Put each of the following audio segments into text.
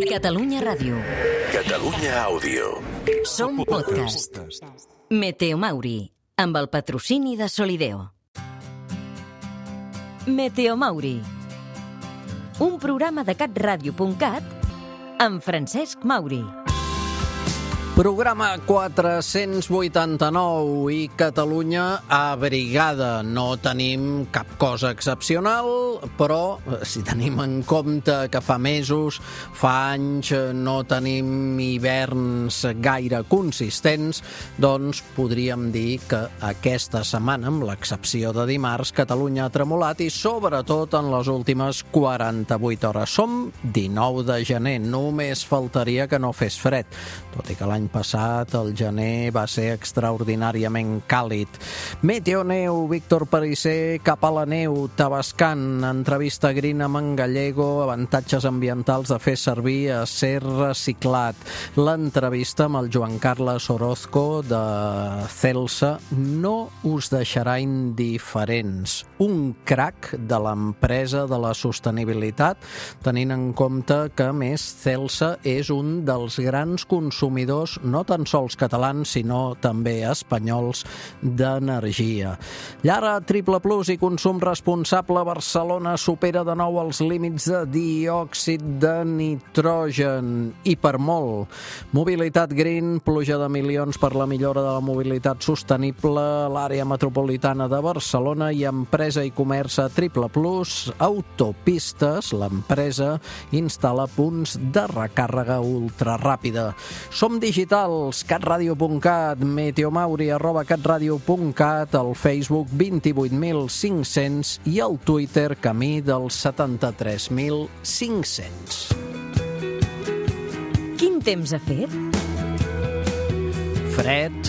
Catalunya Ràdio. Catalunya Àudio. Som podcast. Meteo Mauri, amb el patrocini de Solideo. Meteo Mauri. Un programa de catradio.cat amb Francesc Mauri. Programa 489 i Catalunya abrigada. No tenim cap cosa excepcional, però si tenim en compte que fa mesos, fa anys, no tenim hiverns gaire consistents, doncs podríem dir que aquesta setmana, amb l'excepció de dimarts, Catalunya ha tremolat i sobretot en les últimes 48 hores. Som 19 de gener, només faltaria que no fes fred, tot i que l'any passat, el gener va ser extraordinàriament càlid. Meteoneu, Víctor Perisser, cap a la neu, Tavascan, entrevista green amb en Gallego, avantatges ambientals de fer servir acer reciclat. L'entrevista amb el Joan Carles Orozco de Celsa no us deixarà indiferents. Un crac de l'empresa de la sostenibilitat, tenint en compte que, a més, Celsa és un dels grans consumidors no tan sols catalans, sinó també espanyols d'energia. Llara Triple Plus i consum responsable. Barcelona supera de nou els límits de diòxid de nitrogen i per molt. Mobilitat green, pluja de milions per la millora de la mobilitat sostenible a l'àrea metropolitana de Barcelona i empresa i comerç a Triple Plus. Autopistes, l'empresa instal·la punts de recàrrega ultraràpida. Som digitals, catradio.cat, meteomauri @catradio.cat, el Facebook 28.500 i el Twitter camí dels 73.500. Quin temps ha fet? Fred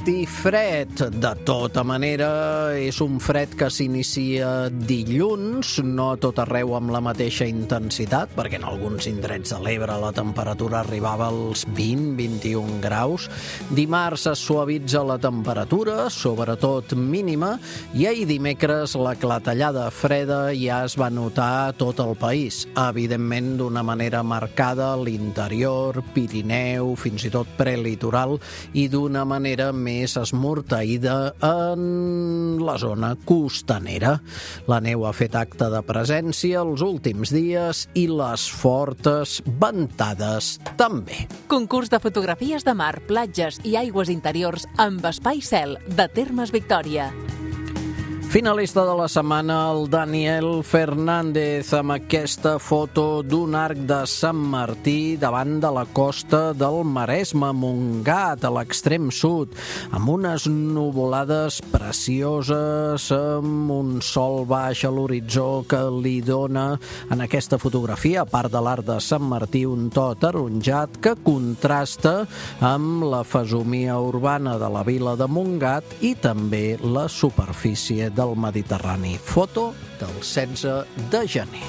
i fred. De tota manera, és un fred que s'inicia dilluns, no a tot arreu amb la mateixa intensitat, perquè en alguns indrets de l'Ebre la temperatura arribava als 20-21 graus. Dimarts es suavitza la temperatura, sobretot mínima, i ahir dimecres la clatellada freda ja es va notar a tot el país. Evidentment, d'una manera marcada a l'interior, Pirineu, fins i tot prelitoral, i d'una manera més esmorteïda en la zona costanera. La neu ha fet acte de presència els últims dies i les fortes ventades també. Concurs de fotografies de mar, platges i aigües interiors amb espai cel de Termes Victòria. Finalista de la setmana, el Daniel Fernández, amb aquesta foto d'un arc de Sant Martí davant de la costa del Maresme, Montgat, a l'extrem sud, amb unes nuvolades precioses, amb un sol baix a l'horitzó que li dona en aquesta fotografia, a part de l'arc de Sant Martí, un to ataronjat que contrasta amb la fesomia urbana de la vila de Montgat i també la superfície del Mediterrani. Foto del 16 de gener.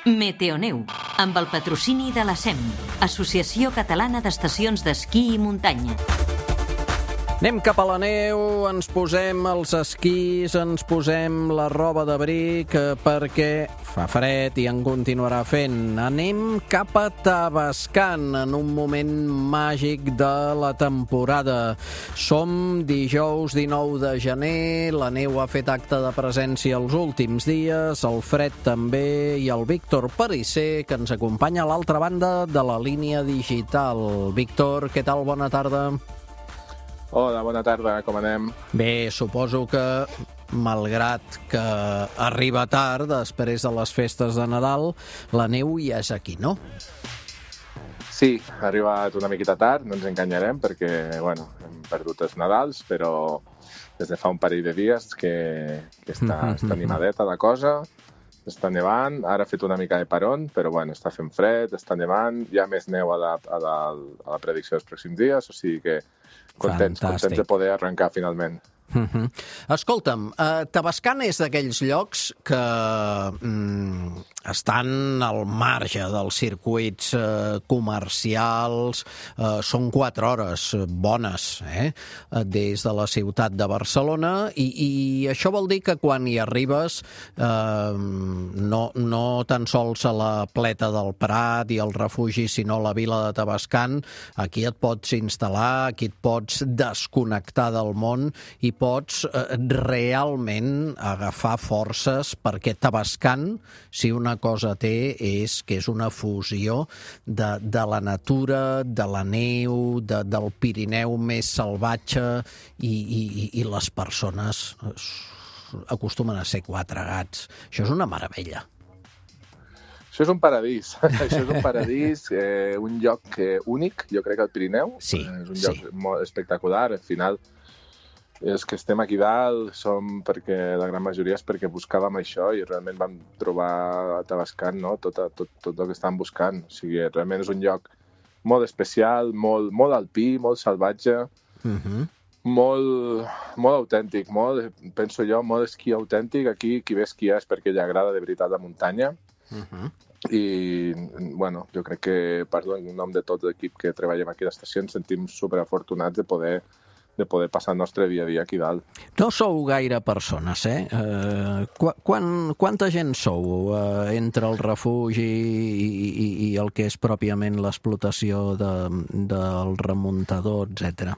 Meteoneu, amb el patrocini de la SEM, Associació Catalana d'Estacions d'Esquí i Muntanya. Anem cap a la neu, ens posem els esquís, ens posem la roba d'abric perquè fa fred i en continuarà fent. Anem cap a Tavascan en un moment màgic de la temporada. Som dijous 19 de gener, la neu ha fet acte de presència els últims dies, el fred també, i el Víctor Perisser, que ens acompanya a l'altra banda de la línia digital. Víctor, què tal? Bona tarda. Hola, bona tarda, com anem? Bé, suposo que, malgrat que arriba tard, després de les festes de Nadal, la neu ja és aquí, no? Sí, ha arribat una miqueta tard, no ens enganyarem, perquè, bueno, hem perdut els Nadals, però des de fa un parell de dies que està animadeta la cosa, està nevant, ara ha fet una mica de paron, però, bueno, està fent fred, està nevant, hi ha més neu a la predicció dels pròxims dies, o sigui que contents de poder arrencar finalment. Escolta'm, Tavascan és d'aquells llocs que estan al marge dels circuits comercials, són 4 hores bones des de la ciutat de Barcelona i això vol dir que quan hi arribes no tan sols a la Pleta del Prat i el refugi, sinó a la vila de Tavascan, aquí et pots instal·lar, aquí et pots desconnectar del món i pots realment agafar forces perquè Tavascan, si una cosa té, és que és una fusió de la natura, de la neu, del Pirineu més salvatge i les persones acostumen a ser 4 gats. Això és una meravella. Això és un paradís. Això és un paradís, un lloc únic, jo crec, al Pirineu. Sí, és un lloc molt espectacular. Al final, és que estem aquí dalt, perquè la gran majoria és perquè buscàvem això i realment vam trobar a Tavascan, no? tot el que estàvem buscant. O sigui, realment és un lloc molt especial, molt alpí, molt salvatge, molt autèntic, penso jo, molt esquí autèntic. Aquí qui ve a esquiar és perquè li agrada de veritat la muntanya. I, bueno, jo crec que, parlo en nom de tot l'equip que treballem aquí a l'estació, ens sentim superafortunats de poder passar el nostre dia a dia aquí dalt. No sou gaire persones, Quanta gent sou entre el refugi i el que és pròpiament l'explotació del remuntador, etc.?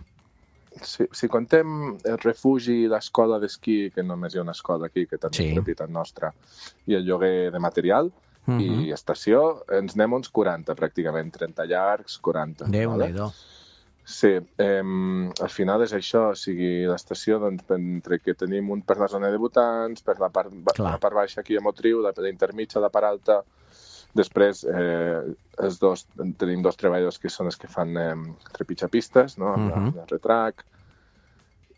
Si contem el refugi i l'escola d'esquí, que només hi ha una escola aquí, que també és propietat nostra, i el lloguer de material i estació, ens anem uns 40, pràcticament, 30 llargs, 40. Déu-n'hi-do. Sí, al final és això, o sigui, l'estació, doncs, entre que tenim un per la zona de debutants, per la part baixa aquí a Motriu, la intermitja, la part alta, després tenim 2 treballadors que són els que fan trepitjapistes, no? Amb el retrac,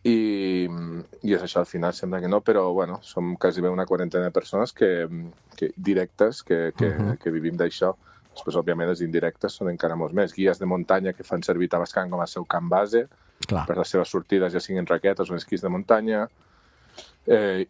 i és això, al final sembla que no, però bueno, som quasi una 40 de persones directes que vivim d'això. Després, òbviament, els indirectes són encara molts més. Guies de muntanya que fan servir Tavascan com a seu camp base per les seves sortides, ja siguin raquetes o esquís de muntanya,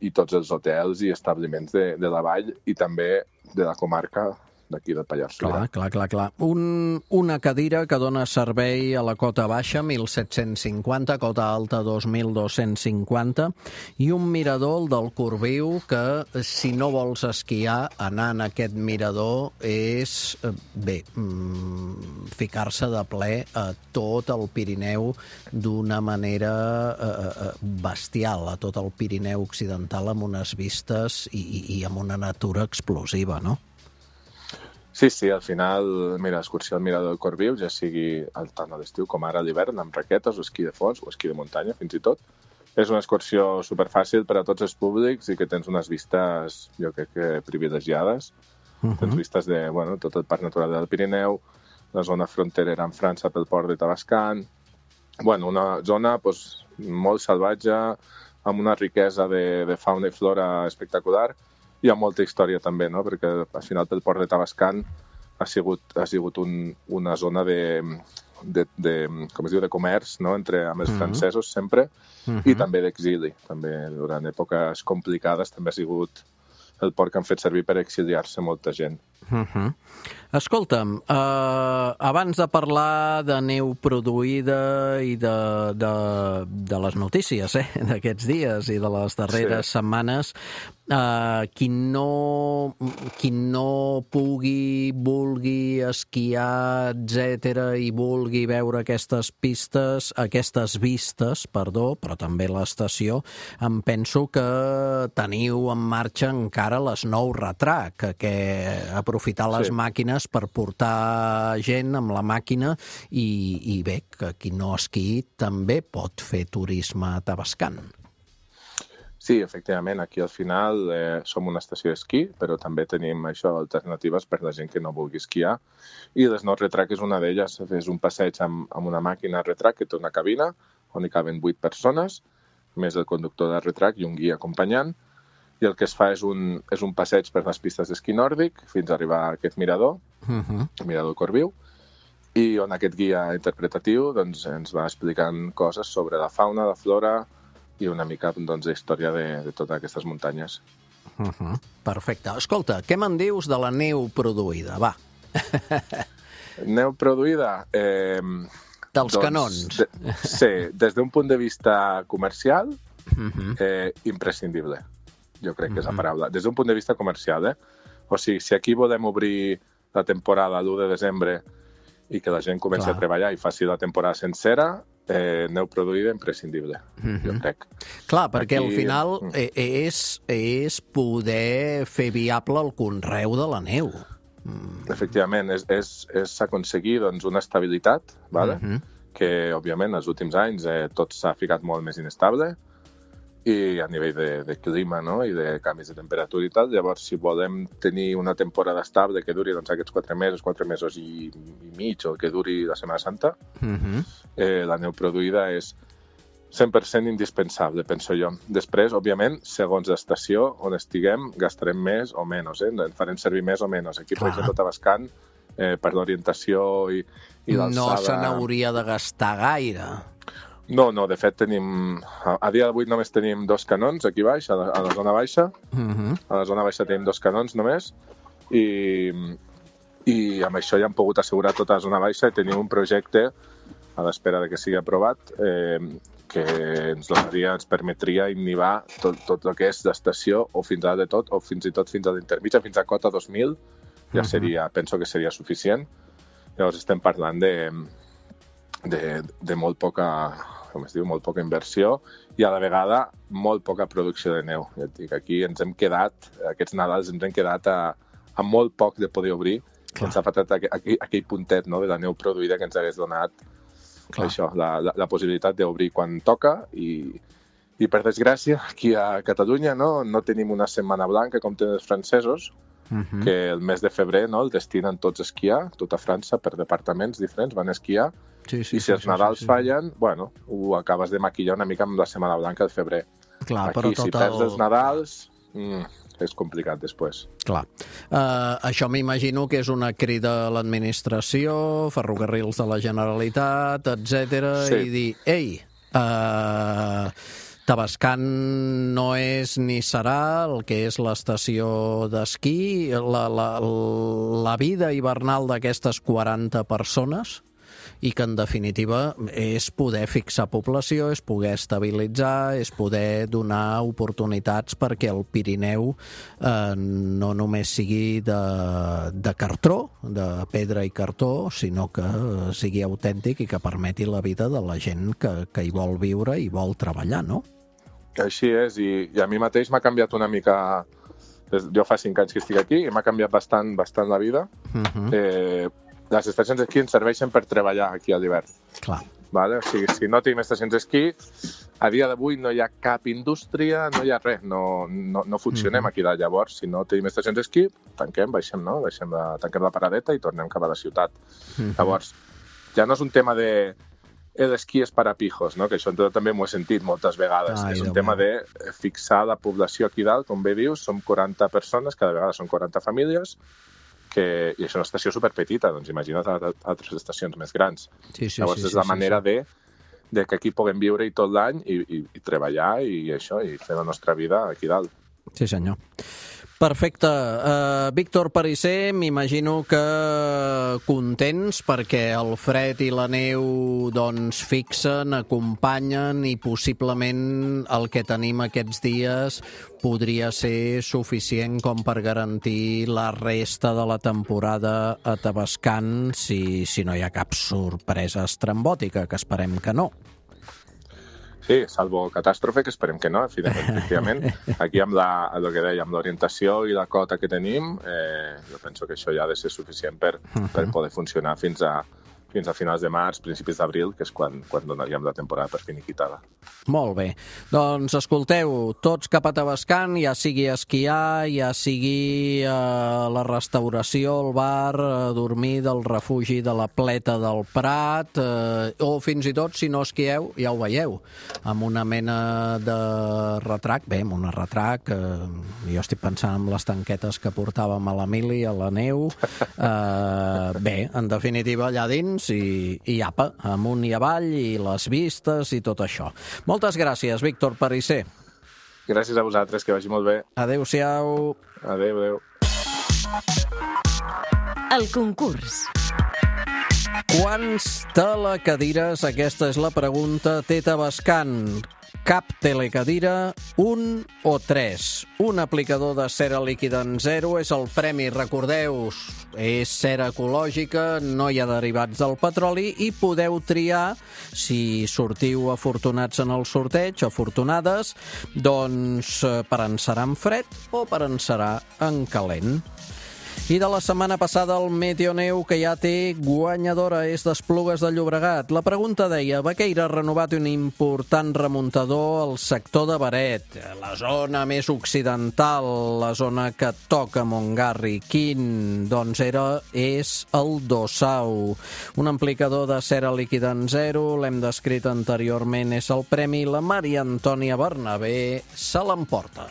i tots els hotels i establiments de la vall i també de la comarca d'aquí del Pallars Sobirà. Clar. Una cadira que dona servei a la cota baixa, 1.750, cota alta, 2.250, i un mirador del Corbiu que, si no vols esquiar, anar en aquest mirador és, ficar-se de ple a tot el Pirineu d'una manera bestial, a tot el Pirineu occidental, amb unes vistes i amb una natura explosiva, no? Sí, al final, mira, l'excursió al Mirador del Corbiu, ja sigui tant a l'estiu com ara a l'hivern, amb raquetes o esquí de fons o esquí de muntanya, fins i tot. És una excursió superfàcil per a tots els públics i que tens unes vistes, jo crec que privilegiades. Tens vistes de tot el Parc Natural del Pirineu, la zona fronterera amb França pel port de Tavascan. Una zona molt salvatge, amb una riquesa de fauna i flora espectacular. Hi ha molta història també, no? Perquè al final pel port de Tavascan ha sigut una zona com es diu, de comerç, no? Amb els francesos sempre, i també d'exili. També durant èpoques complicades també ha sigut el port que han fet servir per exiliar-se molta gent. Escolta'm, abans de parlar de neu produïda i de les notícies d'aquests dies i de les darreres setmanes, qui no pugui, vulgui esquiar, etc., i vulgui veure aquestes vistes, però també l'estació, em penso que teniu en marxa encara les nou Retrac, que aprofitar les màquines per portar gent amb la màquina i bé, que qui no esquiï també pot fer turisme a Tavascan. Sí, efectivament, aquí al final som una estació d'esquí, però també tenim alternatives per la gent que no vulgui esquiar. I les nou Retrac és una d'elles, és un passeig amb una màquina Retrac que té una cabina on hi caben 8 persones, més el conductor de Retrac i un guia acompanyant, i el que es fa és un passeig per les pistes d'esquí nòrdic fins a arribar a aquest mirador, el Mirador Corbiu, i on aquest guia interpretatiu ens va explicant coses sobre la fauna, la flora i una mica doncs, de història de totes aquestes muntanyes. Perfecte. Escolta, què me'n dius de la neu produïda? Va. Neu produïda? Dels canons. Sí, des d'un punt de vista comercial, imprescindible. Jo crec que és la paraula. Des d'un punt de vista comercial, O sigui, si aquí volem obrir la temporada l'1 de desembre i que la gent comenci a treballar i faci la temporada sencera, neu produïda imprescindible, jo crec. Clar, perquè al final és poder fer viable el conreu de la neu. Efectivament, és aconseguir doncs, una estabilitat, que, òbviament, els últims anys tot s'ha ficat molt més inestable, i a nivell de clima, no? I de canvis de temperatura i tal. Llavors, si volem tenir una temporada estable que duri doncs, aquests 4 mesos i mig, o que duri la Setmana Santa, la neu produïda és 100% indispensable, penso jo. Després, òbviament, segons l'estació on estiguem, gastarem més o menys, en farem servir més o menys. Aquí, per exemple, a Tavascan, per l'orientació i l'alçada... No se n'hauria de gastar gaire. No, de fet tenim... A dia d'avui només tenim 2 canons aquí baix, a la zona baixa. A la zona baixa tenim 2 canons només i amb això ja hem pogut assegurar tota la zona baixa i tenim un projecte a l'espera de que sigui aprovat que ens permetria inhibar tot el que és l'estació o fins a dalt de tot, o fins i tot fins a l'intermitja, fins a cota 2000, ja seria, penso que seria suficient. Llavors estem parlant de molt poca, com es diu, molt poca inversió i a la vegada molt poca producció de neu. Ja et dic, aquí ens hem quedat, aquests Nadals ens hem quedat a molt poc de poder obrir. Ens ha faltat aquell puntet, no, de la neu produïda que ens hagués donat això, la possibilitat d'obrir quan toca i per desgràcia aquí a Catalunya no tenim una setmana blanca com tenen els francesos, que el mes de febrer el destinen tots a esquiar, tota França per departaments diferents van a esquiar. I si els Nadals fallen, bueno, ho acabes de maquillar una mica amb la Setmana Blanca de febrer. Clar, aquí, si perds els Nadals, és complicat després. Clar. Això m'imagino que és una crida a l'administració, Ferrocarrils de la Generalitat, etc. I dir, ei, Tavascan no és ni serà el que és l'estació d'esquí, la vida hivernal d'aquestes 40 persones, i que, en definitiva, és poder fixar població, és poder estabilitzar, és poder donar oportunitats perquè el Pirineu no només sigui de cartró, de pedra i cartó, sinó que sigui autèntic i que permeti la vida de la gent que hi vol viure i vol treballar, no? Així és, i a mi mateix m'ha canviat una mica... Jo fa 5 anys que estic aquí i m'ha canviat bastant la vida. Les estacions d'esquí ens serveixen per treballar aquí a l'hivern. Clar. Vale? O sigui, si no tenim estacions d'esquí, a dia d'avui no hi ha cap indústria, no hi ha res, no funcionem aquí dalt. Llavors, si no tenim estacions d'esquí, tanquem, tanquem la paradeta i tornem cap a la ciutat. Llavors, ja no és un tema de l'esquí és per a pijos, no? Que això també m'ho he sentit moltes vegades. És un tema de fixar la població aquí dalt, com bé dius, som 40 persones, cada vegada són 40 famílies, i això és una estació superpetita, doncs imagina't altres estacions més grans. Llavors és la manera de que aquí puguem viure tot l'any i treballar i fer la nostra vida aquí dalt. Sí, senyor. Perfecte. Víctor Perisser, m'imagino que contents perquè el fred i la neu doncs fixen, acompanyen i possiblement el que tenim aquests dies podria ser suficient com per garantir la resta de la temporada a Tavascan si no hi ha cap sorpresa estrambòtica, que esperem que no. Sí, salvo catàstrofe, que esperem que no, efectivament. Aquí amb el que deia, amb l'orientació i la cota que tenim, jo penso que això ja ha de ser suficient per poder funcionar fins a finals de març, principis d'abril, que és quan donaríem la temporada per finiquitada. Molt bé. Doncs escolteu, tots cap a Tavascan, ja sigui esquiar, ja sigui la restauració, el bar, dormir del refugi de la Pleta del Prat, o fins i tot, si no esquieu, ja ho veieu, amb una mena de retrac, amb una retrac, jo estic pensant en les tanquetes que portàvem a l'Emili, a la neu, en definitiva, allà dins, temps i apa, amunt i avall i les vistes i tot això. Moltes gràcies, Víctor Perisser. Gràcies a vosaltres, que vagi molt bé. Adéu-siau. Adéu. El concurs. Quants telecadires? Aquesta és la pregunta. té Tavascan. Cap telecadira, 1 o 3. Un aplicador de cera líquida en 0 és el premi. Recordeu-vos, és cera ecològica, no hi ha derivats del petroli i podeu triar, si sortiu afortunats en el sorteig, afortunades, doncs per encerar en fred o per encerar en calent. I de la setmana passada el Meteoneu, que ja té guanyadora, és d'Esplugues de Llobregat. La pregunta deia: Baqueira ha renovat un important remuntador al sector de Beret, la zona més occidental, la zona que toca Montgarri. Quin? Doncs és el Dossau. Un amplificador de cera líquida en 0, l'hem descrit anteriorment, és el premi. La Maria Antònia Bernabé se l'emporta.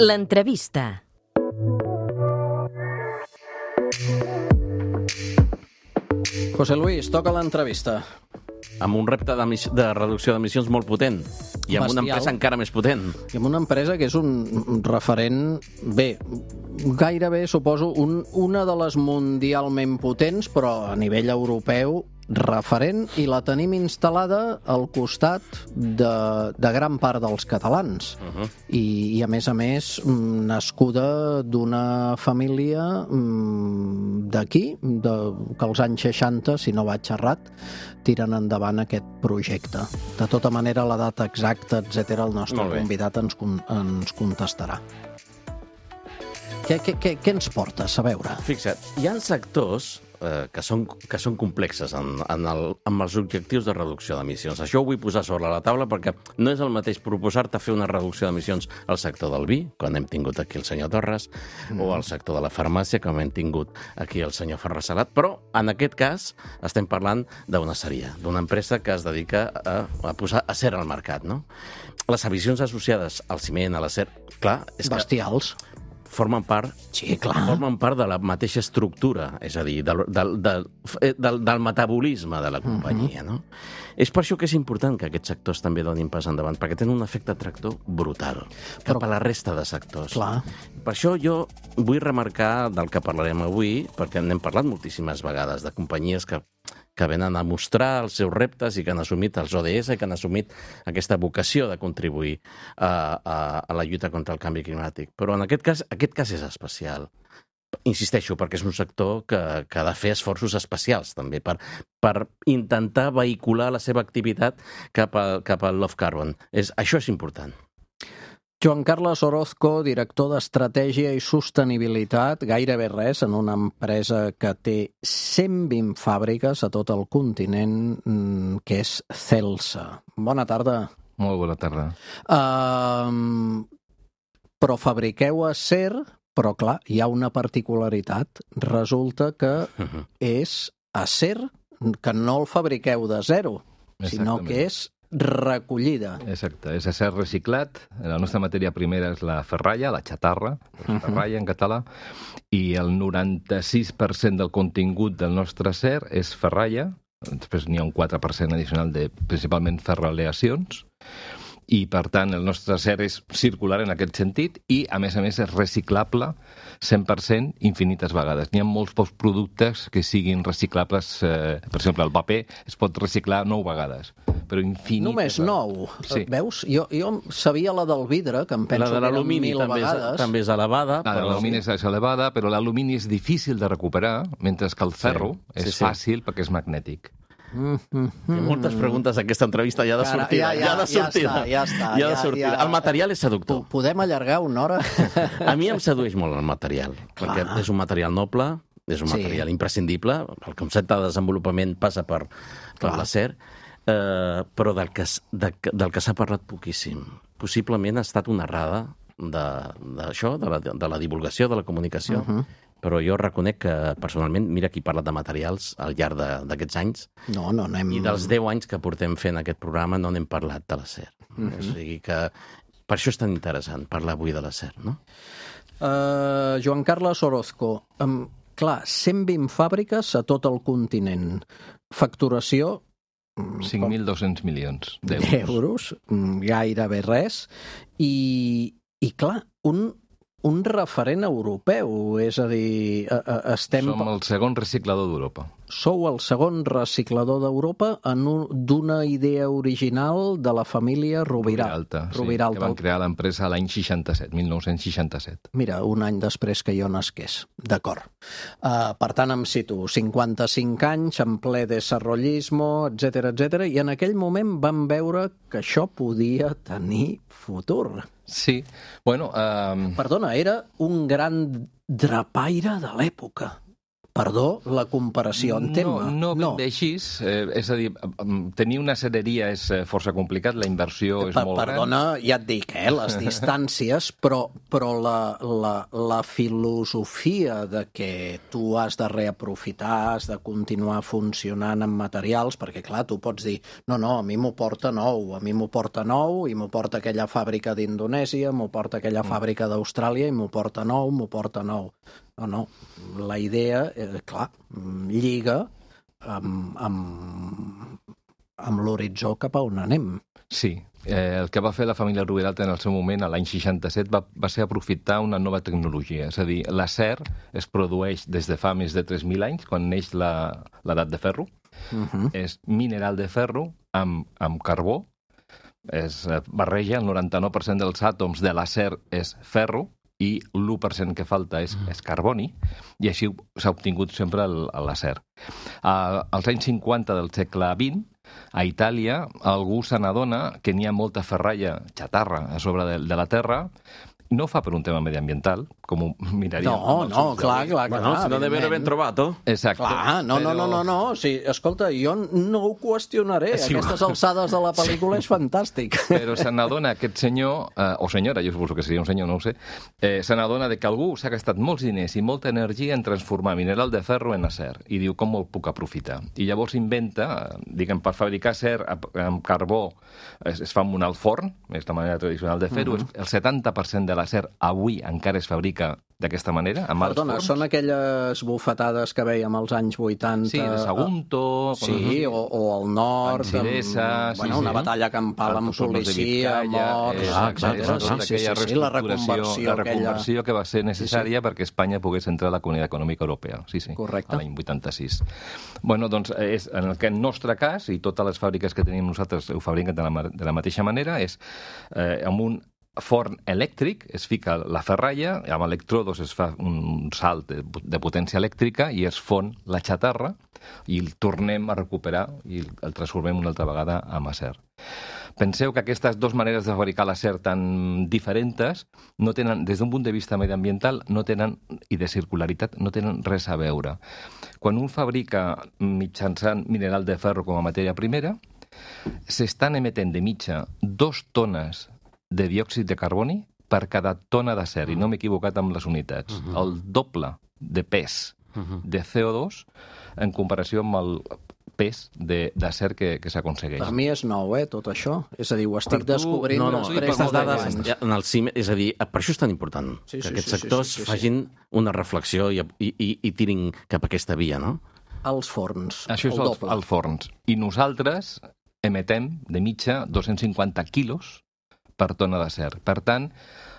L'entrevista. José Luis, toca l'entrevista. Amb un repte de reducció d'emissions molt potent i amb una empresa encara més potent. I amb una empresa que és un referent, bé, gairebé, suposo, una de les mundialment potents, però a nivell europeu referent, i la tenim instal·lada al costat de gran part dels catalans. I a més, nascuda d'una família d'aquí, que als anys 60, si no vaig errat, tiren endavant aquest projecte. De tota manera, la data exacta, etc., el nostre convidat ens contestarà. Què ens portes a veure? Fixa't, hi ha sectors que són complexes amb els objectius de reducció d'emissions. Això ho vull posar sobre la taula perquè no és el mateix proposar-te fer una reducció d'emissions al sector del vi, quan hem tingut aquí el senyor Torres, o al sector de la farmàcia, com hem tingut aquí el senyor Ferrer Salat, però en aquest cas estem parlant d'una aceria, d'una empresa que es dedica a posar acer al mercat, no? Les emissions associades al ciment, a l'acer, clar, és que bestials. Formen part de la mateixa estructura, és a dir, del metabolisme de la companyia, no? És per això que és important que aquests sectors també donin pas endavant, perquè tenen un efecte tractor brutal cap a la resta de sectors. Clar. Per això jo vull remarcar del que parlarem avui, perquè n'hem parlat moltíssimes vegades, de companyies que venen a mostrar els seus reptes i que han assumit els ODS i que han assumit aquesta vocació de contribuir a la lluita contra el canvi climàtic. Però en aquest cas és especial. Insisteixo, perquè és un sector que ha de fer esforços especials també per intentar vehicular la seva activitat cap al low carbon. Això és important. Joan Carles Orozco, director d'Estratègia i Sostenibilitat, gairebé res, en una empresa que té 120 fàbriques a tot el continent, que és Celsa. Bona tarda. Molt bona tarda. Però fabriqueu acer, però clar, hi ha una particularitat. Resulta que és acer que no el fabriqueu de zero, sinó que és recollida. Exacte, és acer reciclat. La nostra matèria primera és la ferralla, la xatarra, ferralla en català, i el 96% del contingut del nostre acer és ferralla. Després n'hi ha un 4% addicional de principalment ferraleacions, i per tant el nostre acer és circular en aquest sentit i a més és reciclable 100% infinites vegades. N'hi ha molts pocs productes que siguin reciclables, per exemple el paper es pot reciclar 9 vegades, però infinites. Només 9? Sí. Veus? Jo sabia la del vidre, que em penso que eren 1000 vegades. També és elevada. La de l'alumini és elevada, però l'alumini és difícil de recuperar, mentre que el ferro és fàcil perquè és magnètic. Hi ha moltes preguntes a aquesta entrevista, ja de sortida. Ja està. El material és seductor. Podem allargar una hora? A mi em sedueix molt el material, perquè és un material noble, és un material imprescindible, el concepte de desenvolupament passa per l'acer, però del que s'ha parlat poquíssim. Possiblement ha estat una errada d'això, de la divulgació, de la comunicació, però jo reconec que, personalment, mira qui parla de materials al llarg d'aquests anys. No n'hem... I dels 10 anys que portem fent aquest programa no n'hem parlat de l'acer. O sigui que per això és tan interessant parlar avui de l'acer, no? Joan Carles Orozco, clar, 120 fàbriques a tot el continent. Facturació... 5.200 milions d'euros, gairebé res. I clar, un referent europeu, és a dir, estem... Som el segon reciclador d'Europa. Sou el segon reciclador d'Europa d'una idea original de la família Rubiralta. Sí, que van crear l'empresa l'any 1967. Mira, un any després que jo nasqués. D'acord. Per tant, em situo 55 anys, en ple desarrollismo, etc. I en aquell moment vam veure que això podia tenir futur. Sí, bueno... Perdona, era un gran drapaire de l'època. Perdó, la comparació en tema. No ben bé així. És a dir, tenir una cereria és força complicat, la inversió és molt gran. Perdona, ja et dic, les distàncies, però la filosofia de que tu has de reaprofitar, has de continuar funcionant amb materials, perquè clar, tu pots dir, no, a mi m'ho porta nou, i m'ho porta aquella fàbrica d'Indonèsia, m'ho porta aquella fàbrica d'Austràlia, i m'ho porta nou. No, la idea, clar, lliga amb l'horitzó cap a on anem. Sí, el que va fer la família Rubiralta en el seu moment, l'any 67, va ser aprofitar una nova tecnologia. És a dir, l'acer es produeix des de fa més de 3.000 anys, quan neix l'edat de ferro. És mineral de ferro amb carbó. Es barreja, el 99% dels àtoms de l'acer és ferro, i l'1% que falta és carboni, i així s'ha obtingut sempre l'acer. Als anys 50 del segle XX, a Itàlia, algú se n'adona que n'hi ha molta ferralla, xatarra, a sobre de la terra. No ho fa per un tema mediambiental, com ho miraríem. No, clar. Bueno, si no debe haver ben trobat, Exacte. Clar, no. Sí, escolta, jo no ho qüestionaré. Aquestes alçades de la pel·lícula és fantàstic. Però se n'adona aquest senyor, o senyora, jo suposo que seria un senyor, no ho sé, se n'adona que algú s'ha gastat molts diners i molta energia en transformar mineral de ferro en acer. I diu, com el puc aprofitar? I llavors inventa, diguem, per fabricar acer amb carbó es fa amb un alt forn, és la manera tradicional de fer-ho, el 70% de l'acer avui encara es fabrica d'aquesta manera, amb alts forns. Són aquelles bufetades que veiem als anys 80. Sí, de Sagunto. Sí, o al nord. Una batalla campal amb policia, morts, etc. La reconversió que va ser necessària perquè Espanya pogués entrar a la Comunitat Econòmica Europea. Sí, correcte. L'any 86. Bueno, doncs, en el nostre cas, i totes les fàbriques que tenim nosaltres ho fabriquen de la mateixa manera, és amb un forn elèctric, es fica la ferralla, amb electrodos es fa un salt de potència elèctrica i es fon la xatarra i el tornem a recuperar i el transformem una altra vegada en acer. Penseu que aquestes dues maneres de fabricar l'acer tan diferents no tenen, des d'un punt de vista mediambiental, i de circularitat, no tenen res a veure. Quan un fabrica mitjançant mineral de ferro com a matèria primera, s'estan emetent de mitja 2 tones de diòxid de carboni per cada tona d'acer, i no m'he equivocat amb les unitats. El doble de pes de CO2 en comparació amb el pes d'acer que s'aconsegueix. Per mi és nou, tot això. És a dir, ho estic descobrint després de dades en el CIM, és a dir, per això és tan important que aquests sectors facin una reflexió i tirin cap a aquesta via, no? Els forns. Això és els forns. I nosaltres emetem de mitja 250 quilos per tona d'acer. Per tant,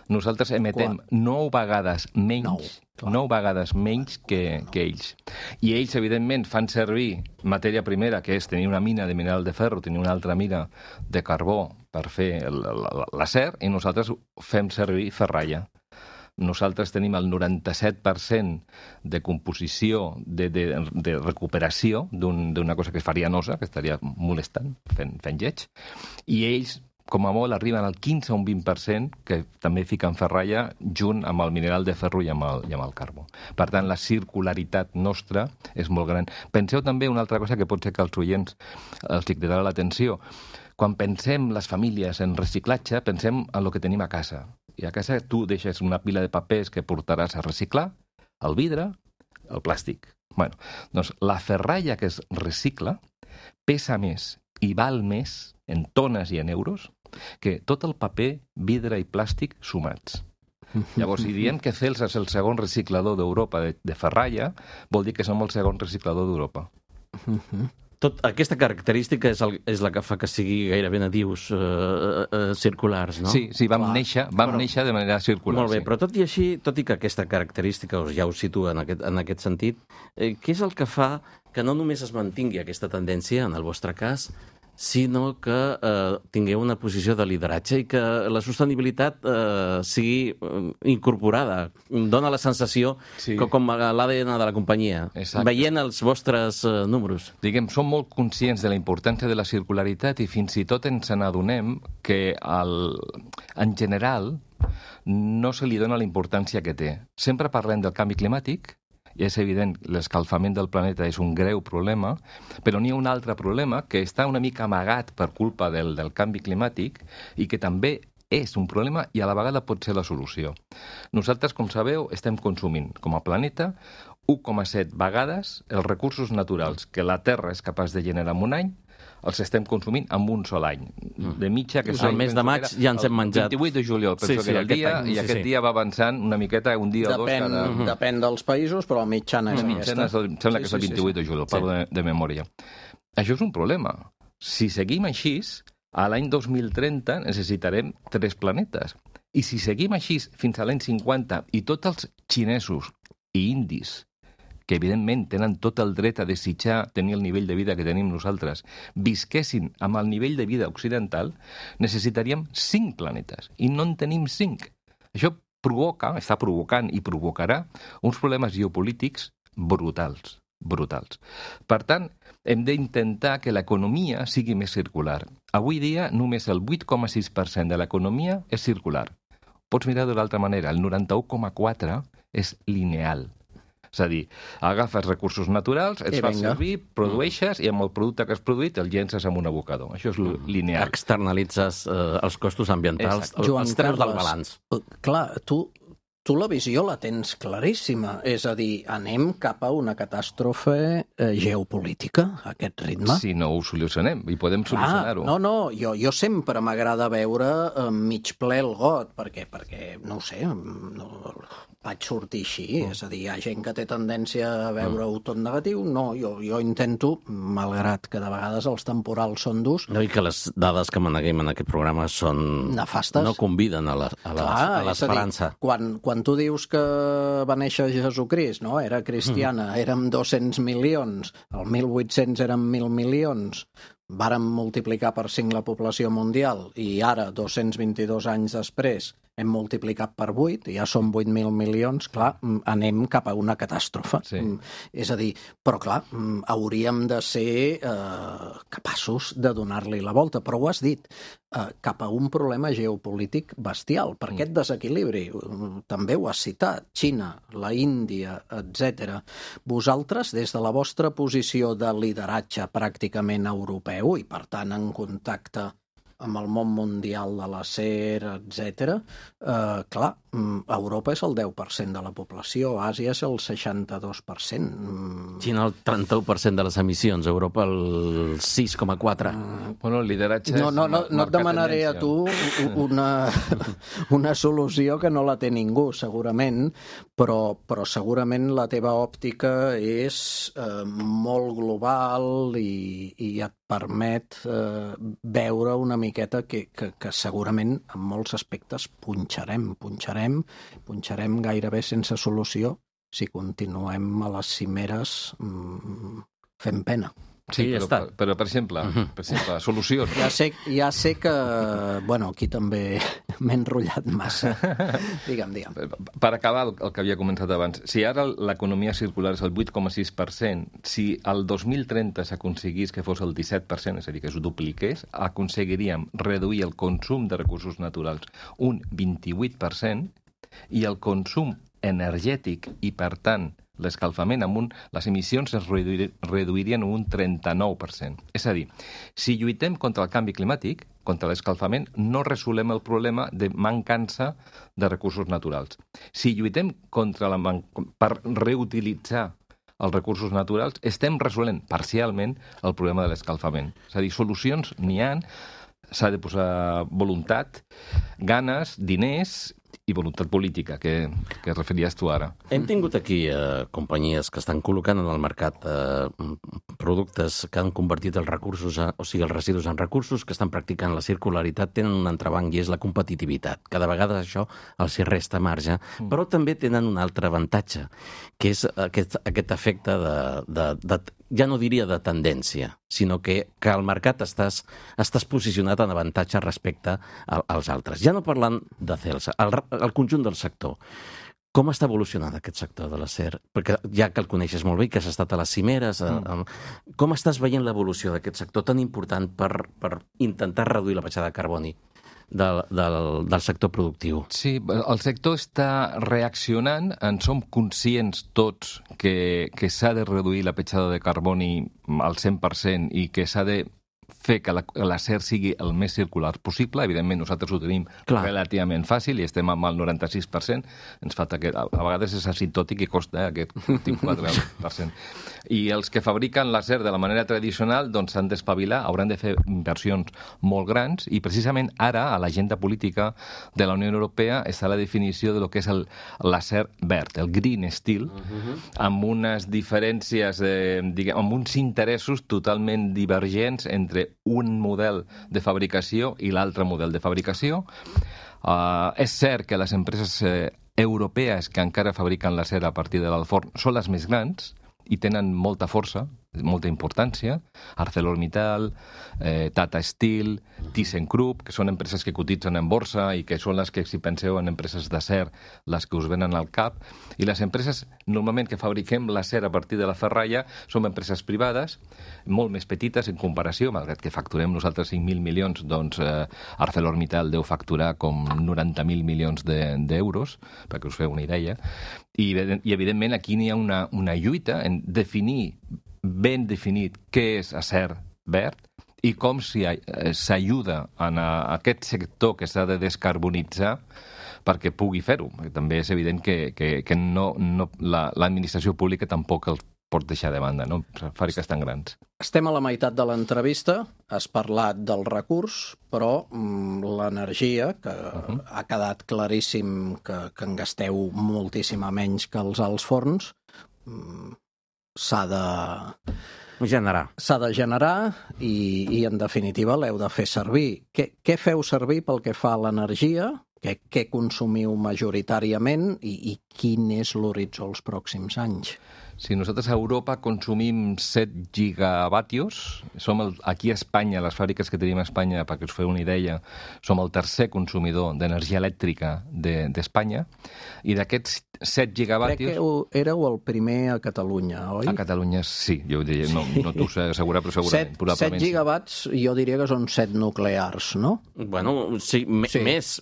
nosaltres emetem 9 vegades menys que ells. I ells, evidentment, fan servir matèria primera, que és tenir una mina de mineral de ferro, tenir una altra mina de carbó per fer l'acer, i nosaltres fem servir ferralla. Nosaltres tenim el 97% de composició, de recuperació d'una cosa que és farinosa, que estaria molestant, fent lleig, i ells, com a molt, arriben al 15 o un 20% que també fiquen ferralla junt amb el mineral de ferro i amb el carbó. Per tant, la circularitat nostra és molt gran. Penseu també una altra cosa que pot ser que als oients els cridarà l'atenció. Quan pensem les famílies en reciclatge, pensem en el que tenim a casa. I a casa tu deixes una pila de papers que portaràs a reciclar, el vidre, el plàstic. Bueno, doncs la ferralla que es recicla pesa més i val més en tones i en euros que tot el paper, vidre i plàstic sumats. Llavors, si diem que Celsa és el segon reciclador d'Europa de ferralla, vol dir que som el segon reciclador d'Europa. Aquesta característica és la que fa que sigui gairebé nadius circulars, no? Sí, vam néixer de manera circular. Molt bé, però tot i així, tot i que aquesta característica ja us situa en aquest sentit, què és el que fa que no només es mantingui aquesta tendència, en el vostre cas, sinó que tingueu una posició de lideratge i que la sostenibilitat sigui incorporada. Dóna la sensació com l'ADN de la companyia, veient els vostres números. Diguem, som molt conscients de la importància de la circularitat i fins i tot ens n'adonem que en general no se li dona la importància que té. Sempre parlem del canvi climàtic, i és evident, l'escalfament del planeta és un greu problema, però n'hi ha un altre problema que està una mica amagat per culpa del canvi climàtic i que també és un problema i a la vegada pot ser la solució. Nosaltres, com sabeu, estem consumint com a planeta 1,7 vegades els recursos naturals que la Terra és capaç de generar en un any, els estem consumint en un sol any. De mitja, que el mes de maig ja ens hem menjat. El 28 de juliol, penso que era el dia, i aquest dia va avançant una miqueta, un dia o dos cada... Depèn dels països, però la mitjana és aquesta. Sembla que és el 28 de juliol, parlo de memòria. Això és un problema. Si seguim així, a l'any 2030 necessitarem 3 planetes. I si seguim així fins a l'any 50 i tots els xinesos i indis que evidentment tenen tot el dret a desitjar tenir el nivell de vida que tenim nosaltres, visquessin amb el nivell de vida occidental, necessitaríem 5 planetes, i no en tenim 5. Això està provocant i provocarà uns problemes geopolítics brutals. Per tant, hem d'intentar que l'economia sigui més circular. Avui dia, només el 8,6% de l'economia és circular. Pots mirar de l'altra manera, el 91,4% és lineal. És a dir, agafes recursos naturals, els fas servir, produeixes, i amb el producte que has produït el llences en un abocador. Això és lineal. Externalitzes els costos ambientals, els treus del balanç. Clar, tu la visió la tens claríssima. És a dir, anem cap a una catàstrofe geopolítica, a aquest ritme. Si no ho solucionem, i podem solucionar-ho. No, jo sempre m'agrada veure mig ple el got, perquè no ho sé, vaig sortir així, és a dir, hi ha gent que té tendència a veure-ho tot negatiu. No, jo intento, malgrat que de vegades els temporals són durs... No, i que les dades que maneguem en aquest programa són... nefastes. No conviden a l'esperança. Quan tu dius que va néixer Jesucrist, no? Era cristiana, érem 200 milions, el 1800 érem 1.000 milions, vàrem multiplicar per 5 la població mundial i ara, 222 anys després, hem multiplicat per 8, ja som 8.000 milions, clar, anem cap a una catàstrofe. Sí. És a dir, però clar, hauríem de ser capaços de donar-li la volta, però ho has dit, cap a un problema geopolític bestial, per aquest desequilibri. També ho has citat, Xina, la Índia, etc. Vosaltres, des de la vostra posició de lideratge pràcticament europeu i, per tant, en contacte amb el món mundial de l'acer, etc. Clar, Europa és el 10% de la població, Àsia és el 62%. Xina el 31% de les emissions, Europa el 6,4%. Bueno, el lideratge és... No et demanaré a tu una solució que no la té ningú, segurament, però segurament la teva òptica és molt global i et permet veure una miqueta que segurament en molts aspectes punxarem gairebé sense solució si continuem a les cimeres fent pena. Sí, però per exemple, solucions. Ja sé que, bueno, aquí també m'he enrotllat massa. Digue'm. Per acabar el que havia començat abans, si ara l'economia circular és el 8,6%, si el 2030 s'aconseguís que fos el 17%, és a dir, que es dupliqués, aconseguiríem reduir el consum de recursos naturals un 28% i el consum energètic i, per tant, l'escalfament les emissions es reduirien un 39%. És a dir, si lluitem contra el canvi climàtic, contra l'escalfament, no resolem el problema de mancança de recursos naturals. Si lluitem per reutilitzar els recursos naturals, estem resolent parcialment el problema de l'escalfament. És a dir, solucions n'hi ha, s'ha de posar voluntat, ganes, diners i voluntat política, que referies tu ara. Hem tingut aquí companyies que estan col·locant en el mercat productes que han convertit els recursos, els residus en recursos, que estan practicant la circularitat, tenen un entrebanc i és la competitivitat. Cada vegada això els hi resta marge, però també tenen un altre avantatge, que és aquest efecte ja no diria de tendència, sinó que al mercat estàs posicionat en avantatge respecte als altres. Ja no parlant de Celsa, el conjunt del sector. Com està evolucionant aquest sector de l'acer? Perquè ja que el coneixes molt bé, que has estat a les cimeres, com estàs veient l'evolució d'aquest sector tan important per intentar reduir la petjada de carboni del sector productiu? Sí, el sector està reaccionant, en som conscients tots que s'ha de reduir la petjada de carboni al 100% i que s'ha de fer que l'acer sigui el més circular possible. Evidentment, nosaltres ho tenim relativament fàcil i estem amb el 96%. Ens falta que a vegades és asintòtic i costa aquest 24%. I els que fabriquen l'acer de la manera tradicional doncs s'han d'espavilar, hauran de fer inversions molt grans i precisament ara a l'agenda política de la Unió Europea està la definició de lo que és l'acer verd, el green steel, amb unes diferències, amb uns interessos totalment divergents entre un model de fabricació i l'altre model de fabricació. És cert que les empreses europees que encara fabriquen l'acer a partir de l'alforn són les més grans i tenen molta força, molta importància. ArcelorMittal, Tata Steel, ThyssenKrupp, que són empreses que cotitzen en borsa i que són les que, si penseu en empreses d'acer, les que us venen al cap. I les empreses, normalment, que fabriquem l'acer a partir de la ferralla, són empreses privades, molt més petites en comparació, malgrat que facturem nosaltres 5.000 milions, doncs ArcelorMittal deu facturar com 90.000 milions d'euros, perquè us feu una idea. I evidentment, aquí n'hi ha una lluita en definir ben definit què és acer verd i com s'ajuda en aquest sector que s'ha de descarbonitzar perquè pugui fer-ho. També és evident que l'administració pública tampoc els pot deixar de banda, no? Fàbriques tan grans. Estem a la meitat de l'entrevista, has parlat del recurs, però l'energia, que ha quedat claríssim que en gasteu moltíssima menys que els alts forns, s'ha de generar i en definitiva l'heu de fer servir. Què feu servir pel que fa a l'energia? Què consumiu majoritàriament i quin és l'horitzó els pròxims anys? Sí, nosaltres a Europa consumim 7 gigavatios. Som aquí a Espanya, les fàbriques que tenim a Espanya, perquè us feu una idea, som el tercer consumidor d'energia elèctrica d'Espanya. I d'aquests 7 gigavatios... Crec que éreu el primer a Catalunya, oi? A Catalunya sí, jo diria, no t'ho sé assegurar, però segurament. 7 gigawatts, jo diria que són 7 nuclears, no? Bueno, sí, més...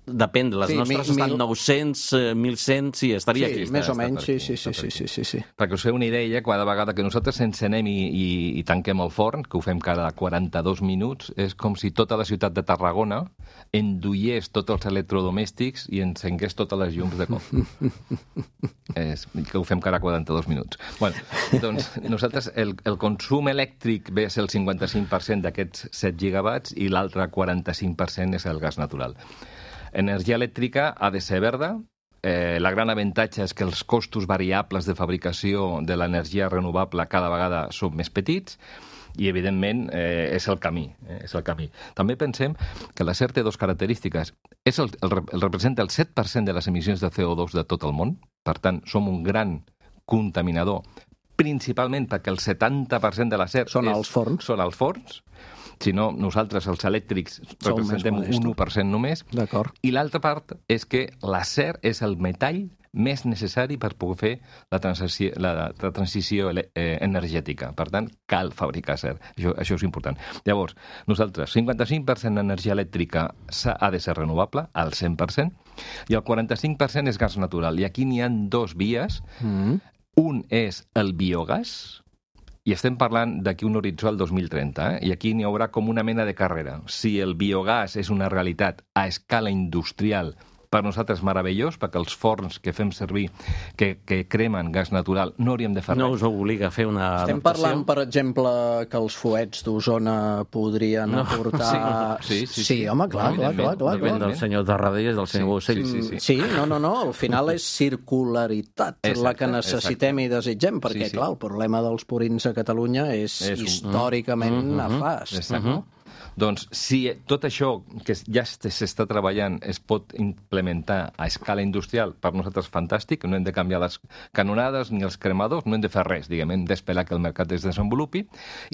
Depèn, les nostres estan 900, 1.100, sí, estaria aquí. Sí, més o menys, sí. Perquè us feu una idea, cada vegada que nosaltres ens anem i tanquem el forn, que ho fem cada 42 minuts, és com si tota la ciutat de Tarragona enduiés tots els electrodomèstics i encengués totes les llums de cop. Que ho fem cada 42 minuts. Bueno, doncs nosaltres el consum elèctric ve a ser el 55% d'aquests 7 gigawatts i l'altre 45% és el gas natural. Energia elèctrica ha de ser verda. La gran avantatge és que els costos variables de fabricació de l'energia renovable cada vegada són més petits i, evidentment, és el camí. També pensem que l'acer té dues característiques. Representa el 7% de les emissions de CO2 de tot el món. Per tant, som un gran contaminador, principalment perquè el 70% de l'acer són els forns. Si no, nosaltres, els elèctrics, representem un 1% només. D'acord. I l'altra part és que l'acer és el metall més necessari per poder fer la transició energètica. Per tant, cal fabricar acer. Això és important. Llavors, nosaltres, 55% d'energia elèctrica ha de ser renovable, al 100%, i el 45% és gas natural. I aquí n'hi ha dues vies. Un és el biogàs, i estem parlant d'aquí un horitzó al 2030, i aquí n'hi haurà com una mena de carrera. Si el biogàs és una realitat a escala industrial per nosaltres meravellós, perquè els forns que fem servir, que cremen gas natural, no hauríem de fer res. No us obliga a fer una Estem parlant, per exemple, que els fuets d'Osona podrien aportar... Sí, home, clar. Depèn del senyor Tarradellas i del senyor Ocell. Sí, no, al final és circularitat la que necessitem i desitgem, perquè, clar, el problema dels purins a Catalunya és històricament nefast. Exacte. Doncs si tot això que ja s'està treballant es pot implementar a escala industrial, per nosaltres fantàstic, no hem de canviar les canonades ni els cremadors, no hem de fer res, diguem, hem d'esperar que el mercat es desenvolupi.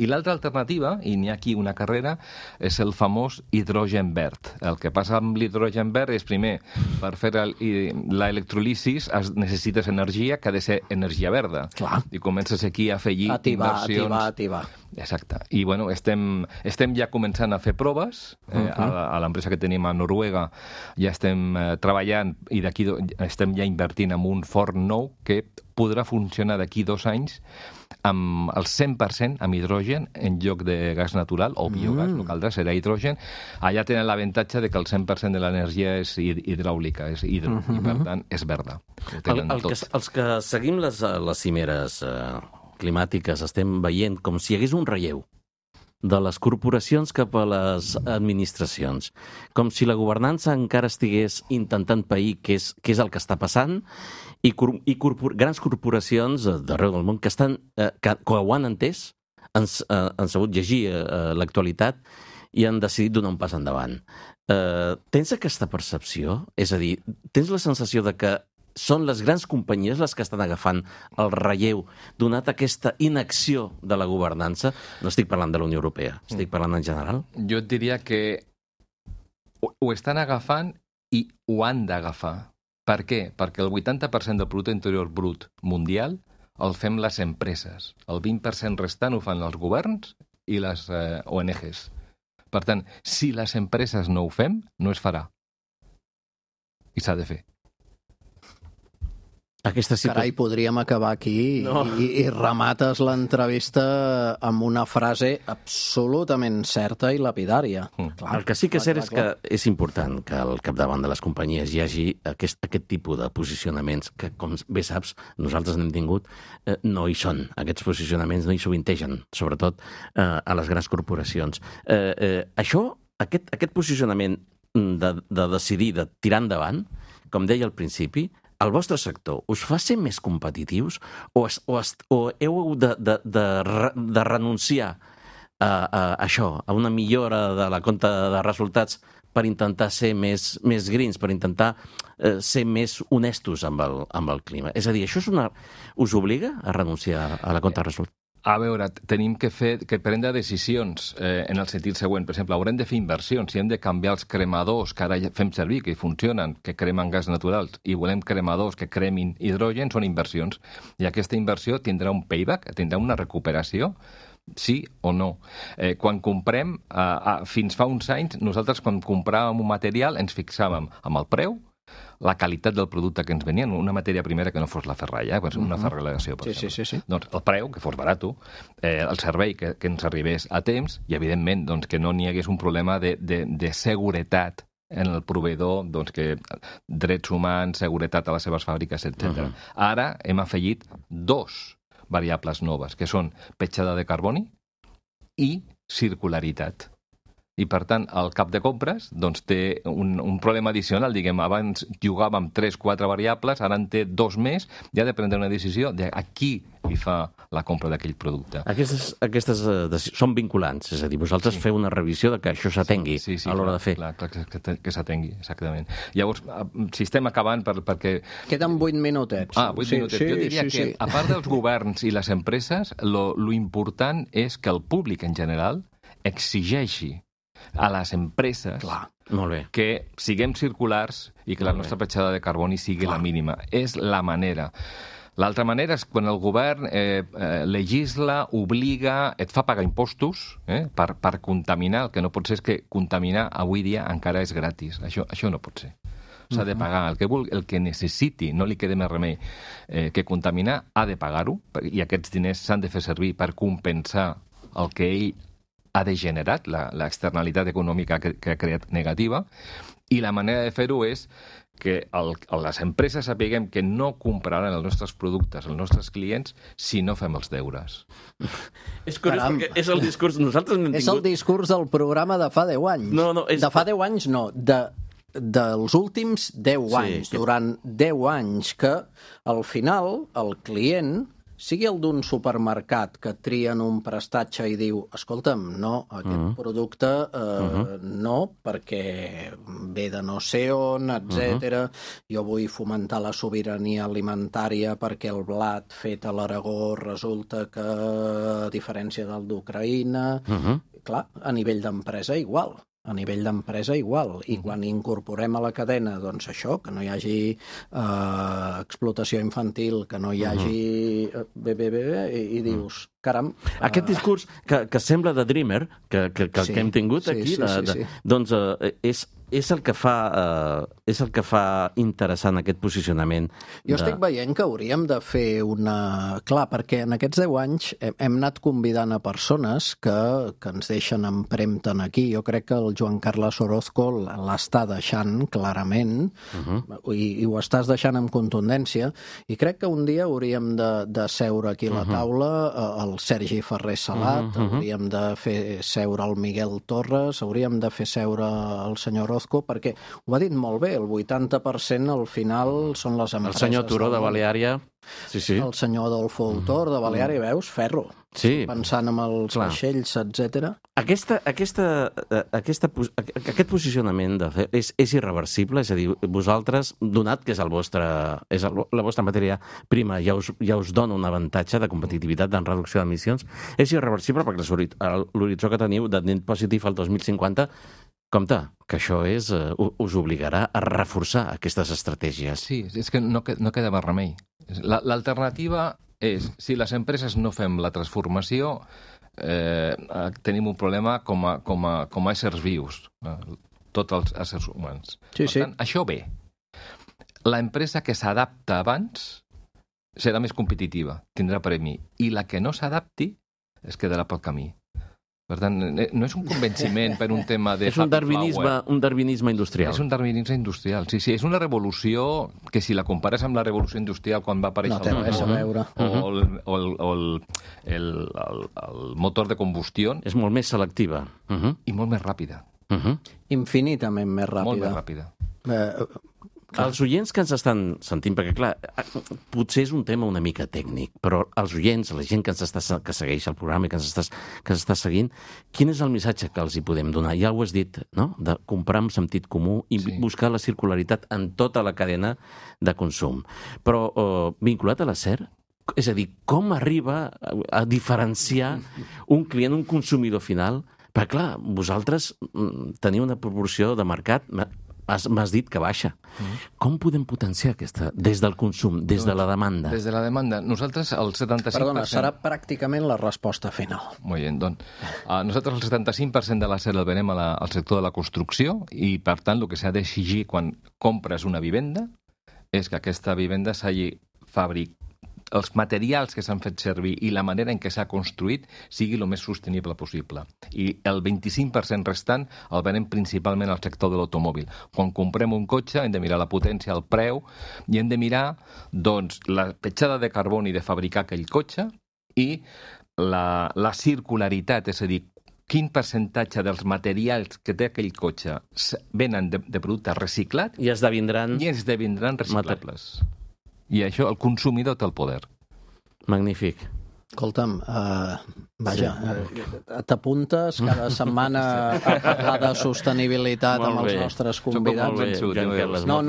I l'altra alternativa, i n'hi ha aquí una carrera, és el famós hidrogen verd. El que passa amb l'hidrogen verd és, primer, per fer l'electrolisis necessites energia que ha de ser energia verda. Clar. I comences aquí a afegir inversions... Ativar. Exacte. I, bueno, estem ja començant a fer proves. A l'empresa que tenim a Noruega ja estem treballant i d'aquí estem ja invertint en un forn nou que podrà funcionar d'aquí 2 anys amb el 100% amb hidrogen en lloc de gas natural o biogàs, no caldrà, serà hidrogen. Allà tenen l'avantatge de que el 100% de l'energia és hidràulica, és i per tant és verda. Els que seguim les cimeres climàtiques estem veient com si hi hagués un relleu de les corporacions cap a les administracions, com si la governança encara estigués intentant pair què és el que està passant i grans corporacions d'arreu del món que ho han entès, han sabut llegir l'actualitat i han decidit donar un pas endavant. Tens aquesta percepció? És a dir, tens la sensació de que són les grans companyies les que estan agafant el relleu, donat aquesta inacció de la governança? No estic parlant de la Unió Europea, estic parlant en general. Jo et diria que ho estan agafant i ho han d'agafar. Per què? Perquè el 80% del producte interior brut mundial el fem les empreses. El 20% restant ho fan els governs i les ONGs. Per tant, si les empreses no ho fem, no es farà. I s'ha de fer. Carai, podríem acabar aquí i remates l'entrevista amb una frase absolutament certa i lapidària. Clar, el que sí que és cert és que és important que al capdavant de les companyies hi hagi aquest tipus de posicionaments que, com bé saps, nosaltres n'hem tingut, no hi són. Aquests posicionaments no hi sovintegen, sobretot a les grans corporacions. Aquest posicionament de decidir, de tirar endavant, com deia al principi, el vostre sector us fa ser més competitius o heu de renunciar a això, a una millora de la compta de resultats per intentar ser més greens, per intentar ser més honestos amb el clima? És a dir, això us obliga a renunciar a la compta de resultats? A veure, tenim que prendre decisions en el sentit següent. Per exemple, haurem de fer inversions. Si hem de canviar els cremadors que ara fem servir, que funcionen, que cremen gas natural, i volem cremadors que cremin hidrogen, són inversions. I aquesta inversió tindrà un payback, tindrà una recuperació, sí o no. Quan comprem, fins fa uns anys, nosaltres quan compràvem un material ens fixàvem amb el preu, la qualitat del producte que ens venien, una matèria primera que no fos la ferralla, una ferralegació, per exemple. Sí. Doncs el preu, que fos barat, el servei que ens arribés a temps i, evidentment, doncs, que no n'hi hagués un problema de seguretat en el proveïdor, doncs, que drets humans, seguretat a les seves fàbriques, etc. Ara hem afegit 2 variables noves, que són petjada de carboni i circularitat. I, per tant, el cap de compres doncs, té un problema addicional. Diguem, abans jugàvem 3-4 variables, ara en té 2 més, i ha de prendre una decisió de a qui li fa la compra d'aquell producte. Aquestes són vinculants, és a dir, vosaltres feu una revisió de que això s'atengui a l'hora de fer. Clar, que s'atengui, exactament. Llavors, si estem acabant perquè... Queden 8 minutets. 8 minutets. Jo diria que, a part dels governs i les empreses, lo important és que el públic en general exigeixi a les empreses que siguem circulars i que la nostra petjada de carboni sigui la mínima. És la manera. L'altra manera és quan el govern legisla, obliga, et fa pagar impostos per contaminar. El que no pot ser és que contaminar avui dia encara és gratis. Això no pot ser. S'ha de pagar. El que necessiti, no li queda més remei que contaminar, ha de pagar-ho, i aquests diners s'han de fer servir per compensar el que ell ha degenerat, l'externalitat econòmica que ha creat negativa, i la manera de fer-ho és que les empreses sapiguem que no compraran els nostres productes, els nostres clients, si no fem els deures. És curiós perquè és el discurs... Nosaltres n'hem tingut... És el discurs del programa de fa 10 anys. De fa 10 anys no, dels últims 10 anys. Durant 10 anys que, al final, el client, sigui el d'un supermercat que trien un prestatge i diu escolta'm, no, aquest producte no, perquè ve de no sé on, etc. Jo vull fomentar la sobirania alimentària perquè el blat fet a l'Aragó resulta que, a diferència del d'Ucraïna, clar, a nivell d'empresa igual. A nivell d'empresa igual, i quan incorporem a la cadena doncs això, que no hi hagi explotació infantil, que no hi hagi i dius, caram... Aquest discurs que sembla de Dreamer, que hem tingut aquí, doncs és el que fa interessant aquest posicionament. Jo estic veient que hauríem de fer una... Clar, perquè en aquests 10 anys hem anat convidant a persones que ens deixen empremta aquí. Jo crec que el Joan Carles Orozco l'està deixant clarament i ho estàs deixant amb contundència, i crec que un dia hauríem de seure aquí a la taula el Sergi Ferrer Salat, hauríem de fer seure el Miguel Torres, hauríem de fer seure el senyor Orozco, perquè ho ha dit molt bé, el 80% al final són les empreses. El senyor Turó de Baleària. Sí. El senyor Adolfo Autor de Baleària, veus? Ferro. Sí. Pensant en els vaixells, etc. Aquest posicionament és irreversible, és a dir, vosaltres, donat que és la vostra matèria prima, ja us dona un avantatge de competitivitat en reducció d'emissions, és irreversible perquè l'horitzó que teniu de net positiu al 2050, compte, que això us obligarà a reforçar aquestes estratègies. Sí, és que no queda més remei. L'alternativa és, si les empreses no fem la transformació, tenim un problema com a éssers vius, tots els éssers humans. Per tant, això ve. L'empresa que s'adapta abans serà més competitiva, tindrà premi, i la que no s'adapti es quedarà pel camí. Per tant, no és un convenciment per un tema de... És un darwinisme industrial. És un darwinisme industrial, sí. És una revolució que, si la compares amb la revolució industrial quan va aparèixer el motor de combustió... És molt més selectiva. I molt més ràpida. Infinitament més ràpida. Molt més ràpida. Els oients que ens estan sentint, perquè clar, potser és un tema una mica tècnic, però els oients, la gent que segueix el programa i que ens està seguint, quin és el missatge que els hi podem donar? Ja ho has dit, no? De comprar amb sentit comú i buscar la circularitat en tota la cadena de consum. Però vinculat a l'acer, és a dir, com arriba a diferenciar un client, un consumidor final? Perquè clar, vosaltres teniu una proporció de mercat... M'has dit que baixa. Com podem potenciar aquesta, des del consum, des de la demanda? Des de la demanda. Nosaltres, el 75%... Perdona, serà pràcticament la resposta final. Molt bé, doncs. Nosaltres el 75% de l'acer el venem al sector de la construcció i, per tant, el que s'ha d'exigir quan compres una vivenda és que aquesta vivenda s'hagi fabricat, els materials que s'han fet servir i la manera en què s'ha construït sigui el més sostenible possible. I el 25% restant el venem principalment al sector de l'automòbil. Quan comprem un cotxe hem de mirar la potència, el preu, i hem de mirar doncs, la petjada de carboni de fabricar aquell cotxe i la circularitat, és a dir, quin percentatge dels materials que té aquell cotxe venen de producte reciclat i esdevindran reciclables. I això, el consumidor té el poder. Magnífic. Escolta'm, t'apuntes cada setmana a parlar de sostenibilitat amb els nostres convidats? No,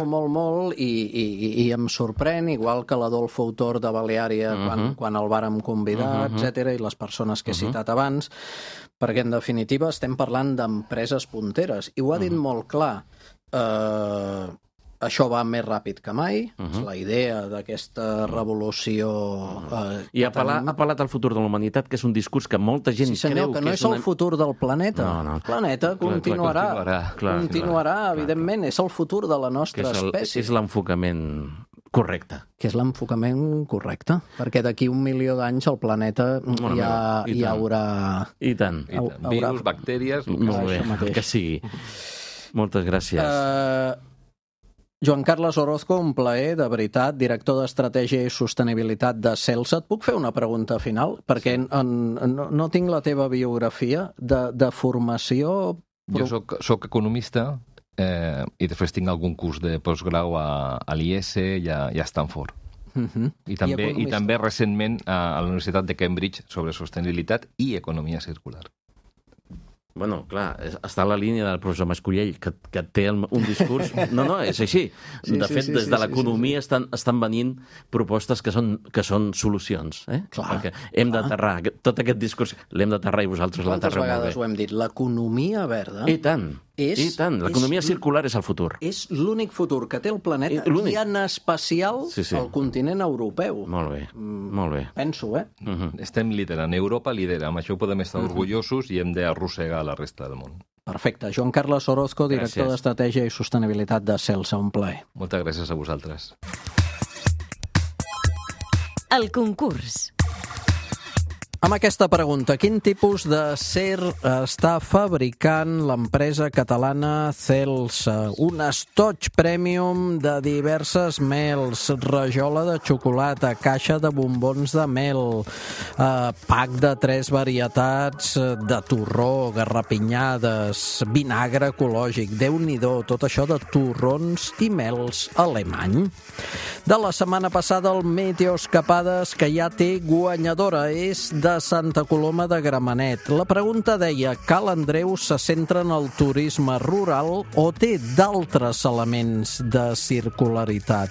molt, i em sorprèn, igual que l'Adolfo Autor de Baleària quan el vàrem convidar, etc., i les persones que he citat abans, perquè en definitiva estem parlant d'empreses punteres, i ho ha dit molt clar. Això va més ràpid que mai, és la idea d'aquesta revolució I ha apel·lat al futur de la humanitat, que és un discurs que molta gent creu que és... Sí, senyor, que no és el futur del planeta. El planeta continuarà, evidentment, és el futur de la nostra espècie. És l'enfocament Correcte. Que és l'enfocament correcte, perquè d'aquí 1 milió d'anys el planeta hi haurà... I tant. Virus, bactèries... Molt bé, que sigui. Moltes gràcies. Joan Carles Orozco, un plaer, de veritat, director d'Estratègia i Sostenibilitat de Celsa. Et puc fer una pregunta final? Perquè no tinc la teva biografia de formació... Jo soc economista i després tinc algun curs de postgrau a l'IS i a Stanford. I també recentment a la Universitat de Cambridge sobre sostenibilitat i economia circular. Bueno, clar, està a la línia del professor Mascollell, que té un discurs... No, és així. De fet, des de l'economia estan venint propostes que són solucions. Perquè hem d'aterrar, tot aquest discurs l'hem d'aterrar i vosaltres l'aterreu molt bé. Quantes vegades ho hem dit? L'economia verda... I tant, l'economia circular és el futur. És l'únic futur que té el planeta i en especial el continent europeu. Molt bé. Penso, Estem liderant, Europa lidera, amb això podem estar orgullosos i hem d'arrossegar la resta del món. Perfecte. Joan Carles Orozco, director d'Estratègia i Sostenibilitat de Celsa, un plaer. Moltes gràcies a vosaltres. El concurs. Amb aquesta pregunta, quin tipus d'acer està fabricant l'empresa catalana Celsa? Un estoig premium de diverses mels, rajola de xocolata, caixa de bombons de mel, pack de 3 varietats de torró, garrapinyades, vinagre ecològic, Déu-n'hi-do, tot això de torrons i mels alemany. De la setmana passada, el Meteoscapades, que ja té guanyadora, és de Santa Coloma de Gramenet. La pregunta deia, Cal Andreu se centra en el turisme rural o té d'altres elements de circularitat?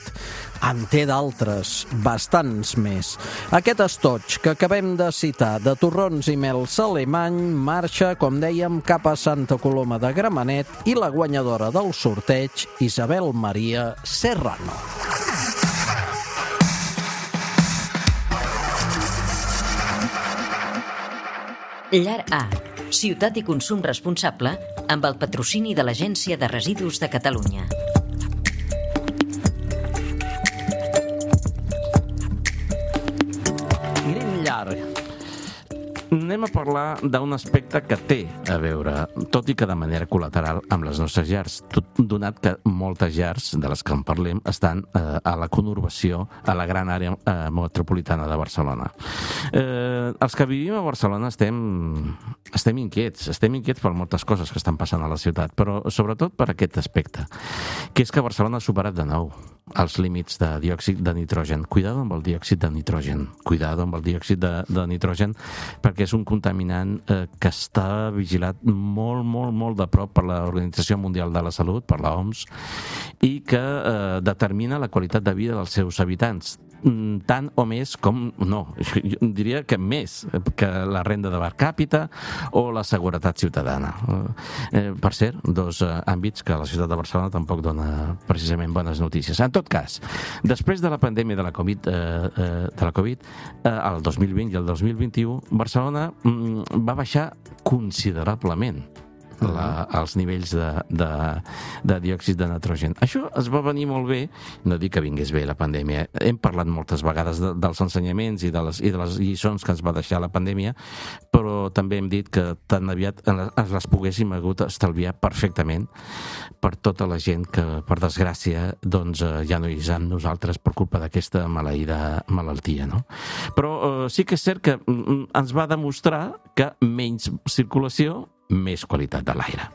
En té d'altres, bastants més. Aquest estoig que acabem de citar, de torrons i mels alemany, marxa, com dèiem, cap a Santa Coloma de Gramenet i la guanyadora del sorteig, Isabel Maria Serrano. Llar A, ciutat i consum responsable, amb el patrocini de l'Agència de Residus de Catalunya. Green Llar. Anem a parlar d'un aspecte que té a veure, tot i que de manera col·lateral, amb les nostres llars, donat que moltes llars de les que en parlem estan a la conurbació, a la gran àrea metropolitana de Barcelona. Els que vivim a Barcelona estem inquiets per moltes coses que estan passant a la ciutat, però sobretot per aquest aspecte, que és que Barcelona ha superat de nou els límits de diòxid de nitrogen. Cuidado amb el diòxid de nitrogen. Cuidado amb el diòxid de nitrogen, perquè és un contaminant que està vigilat molt, molt, molt de prop per l'Organització Mundial de la Salut, per l'OMS, i que determina la qualitat de vida dels seus habitants. Tant o més com... No, jo diria que més que la renda de per càpita o la seguretat ciutadana. Per cert, dos àmbits que la ciutat de Barcelona tampoc dona precisament bones notícies. En tot cas, després de la pandèmia de la Covid, el 2020 i el 2021, Barcelona va baixar considerablement els nivells de diòxid de nitrogen. Això es va venir molt bé, no dic que vingués bé la pandèmia, hem parlat moltes vegades dels ensenyaments i de les lliçons que ens va deixar la pandèmia, però també hem dit que tan aviat ens les poguéssim hagut estalviar perfectament per tota la gent que, per desgràcia, doncs ja no hi és amb nosaltres per culpa d'aquesta maleïda malaltia, no? Però sí que és cert que ens va demostrar que menys circulació, més qualitat de l'aire.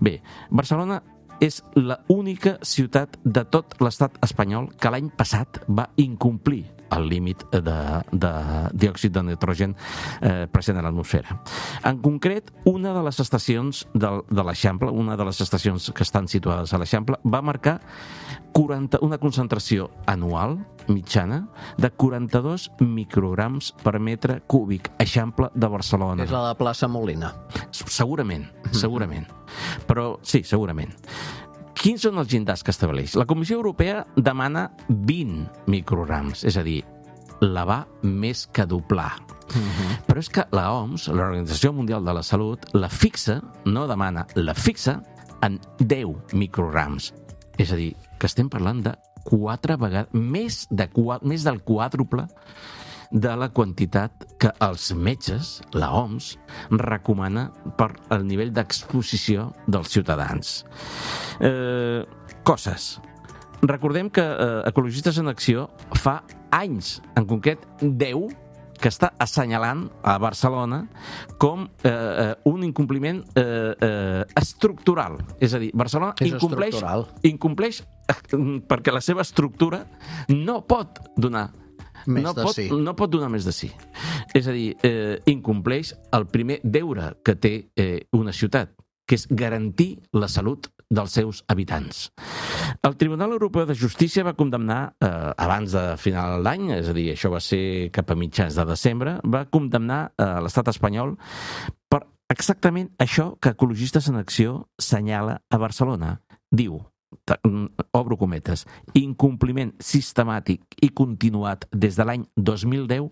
Bé, Barcelona és l'única ciutat de tot l'estat espanyol que l'any passat va incomplir el límit de diòxid de nitrogen present a l'atmosfera. En concret, una de les estacions de l'Eixample, una de les estacions que estan situades a l'Eixample, va marcar una concentració anual mitjana de 42 micrograms per metre cúbic. Eixample de Barcelona. És la de Plaça Molina. Segurament. Però sí, segurament. Quins són els llindars que estableix? La Comissió Europea demana 20 micrograms, és a dir, la va més que doblar. Però és que la OMS, l'Organització Mundial de la Salut, la fixa en 10 micrograms. És a dir, que estem parlant de 4 vegades, més del quàdruple de la quantitat que els metges, la OMS, recomana per el nivell d'exposició dels ciutadans. Coses. Recordem que Ecologistes en Acció fa anys, en concret 10, que està assenyalant a Barcelona com un incompliment estructural. És a dir, Barcelona incompleix perquè la seva estructura no pot donar no pot donar més de sí. És a dir, incompleix el primer deure que té una ciutat, que és garantir la salut dels seus habitants. El Tribunal Europeu de Justícia va condemnar, abans de final d'any, és a dir, això va ser cap a mitjans de desembre, va condemnar l'estat espanyol per exactament això que Ecologistes en Acció senyala a Barcelona. Diu, obro cometes, incompliment sistemàtic i continuat des de l'any 2010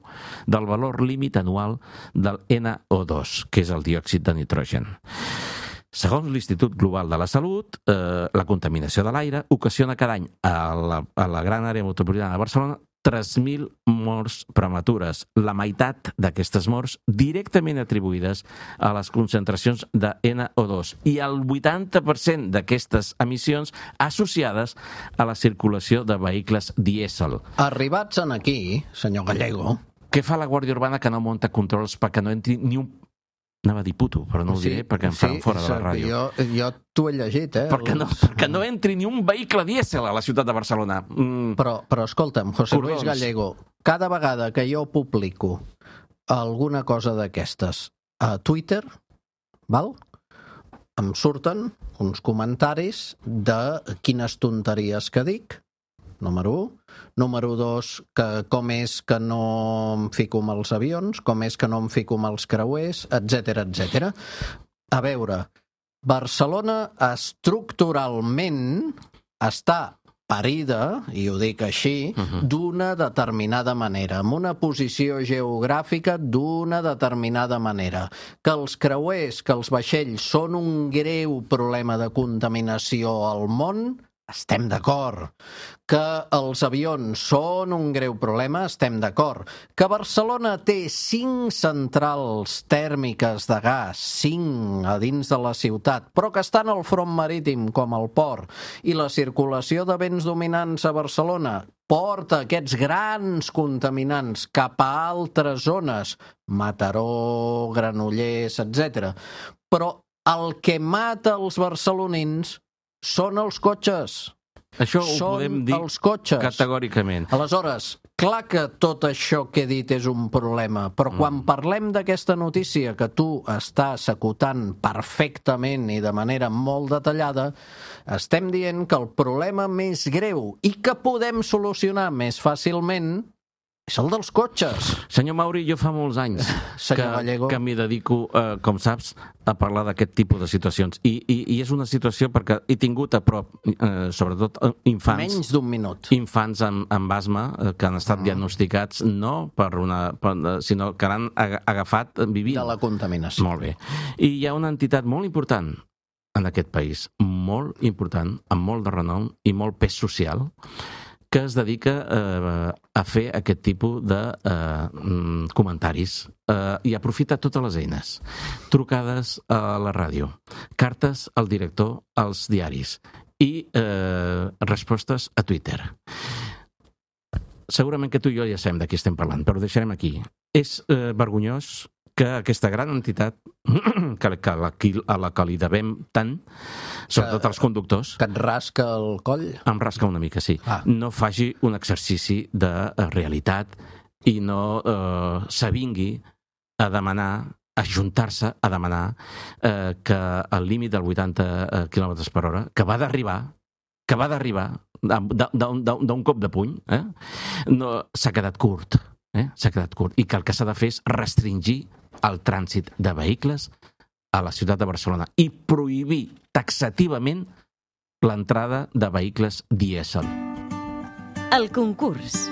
del valor límit anual del NO2, que és el diòxid de nitrogen. Segons l'Institut Global de la Salut, la contaminació de l'aire ocasiona cada any a la gran àrea metropolitana de Barcelona 3.000 morts prematures, la meitat d'aquestes morts directament atribuïdes a les concentracions de NO2 i el 80% d'aquestes emissions associades a la circulació de vehicles dièsel. Arribats en aquí, senyor Gallego... Què fa la Guàrdia Urbana que no munta controls perquè no entri ni un... Anava a dir puto, però no ho diré perquè em faran fora de la ràdio. Jo t'ho he llegit, Perquè no entri ni un vehicle dièsel a la ciutat de Barcelona. Però escolta'm, José Luis Gallego, cada vegada que jo publico alguna cosa d'aquestes a Twitter, val? Em surten uns comentaris de quines tonteries que dic, número 1. Número 2, que com és que no em fico amb els avions, com és que no em fico amb els creuers, etc etc. A veure, Barcelona estructuralment està parida, i ho dic així, d'una determinada manera, amb una posició geogràfica d'una determinada manera. Que els creuers, que els vaixells són un greu problema de contaminació al món, estem d'acord. Que els avions són un greu problema, estem d'acord. Que Barcelona té 5 centrals tèrmiques de gas, 5 a dins de la ciutat, però que estan al front marítim, com el port, i la circulació de vents dominants a Barcelona porta aquests grans contaminants cap a altres zones, Mataró, Granollers, etc. Però el que mata els barcelonins són els cotxes. Això ho podem dir categòricament. Aleshores, clar que tot això que he dit és un problema, però quan parlem d'aquesta notícia que tu estàs acotant perfectament i de manera molt detallada, estem dient que el problema més greu i que podem solucionar més fàcilment és el dels cotxes. Senyor Mauri, jo fa molts anys que m'hi dedico, com saps, a parlar d'aquest tipus de situacions. I és una situació perquè he tingut a prop, sobretot infants... Menys d'un minut. Infants amb asma que han estat diagnosticats no sinó que l'han agafat vivint. De la contaminació. Molt bé. I hi ha una entitat molt important en aquest país, molt important, amb molt de renom i molt pes social, que es dedica a fer aquest tipus de comentaris i aprofita totes les eines. Trucades a la ràdio, cartes al director als diaris i respostes a Twitter. Segurament que tu i jo ja sabem de qui estem parlant, però ho deixarem aquí. És vergonyós que aquesta gran entitat a la que li devem tant, sobretot als conductors... Que et rasca el coll? Em rasca una mica, sí. No faci un exercici de realitat i no s'avingui a demanar, a ajuntar-se a demanar que el límit del 80 km per hora, que va d'arribar d'un cop de puny, s'ha quedat curt. S'ha quedat curt. I que el que s'ha de fer és restringir el trànsit de vehicles a la ciutat de Barcelona i prohibir taxativament l'entrada de vehicles dièsel. El concurs.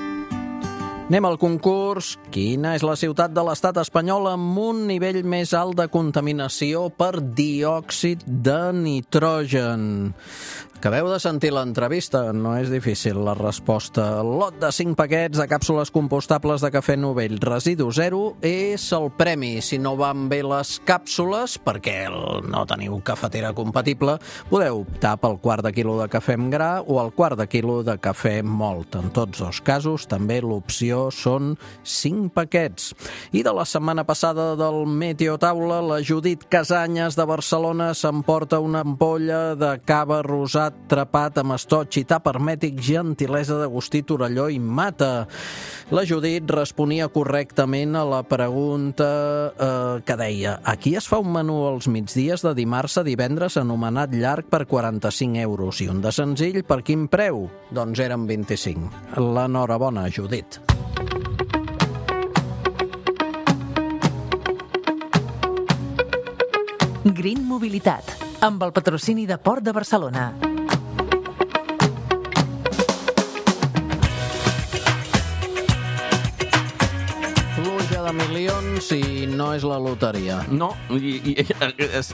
Anem al concurs. Quina és la ciutat de l'estat espanyol amb un nivell més alt de contaminació per diòxid de nitrogen? Acabeu de sentir l'entrevista, no és difícil la resposta. El lot de 5 paquets de càpsules compostables de cafè Novell Residu Zero és el premi. Si no van bé les càpsules, perquè no teniu cafetera compatible, podeu optar pel quart de quilo de cafè amb gra o el quart de quilo de cafè mòlt. En tots dos casos, també l'opció són 5 paquets. I de la setmana passada del Meteo Taula, la Judit Casanyes de Barcelona s'emporta una ampolla de cava rosat trapat amb estoig i tap hermètic, gentilesa d'Agustí Torelló i Mata. La Judit responia correctament a la pregunta que deia: aquí es fa un menú als migdies de dimarts a divendres anomenat llarg per 45 euros i un de senzill per quin preu? Doncs eren 25. L'enhorabona, Judit. Green Mobilitat, amb el patrocini de Port de Barcelona. Pluja de milions i no és la loteria. No, i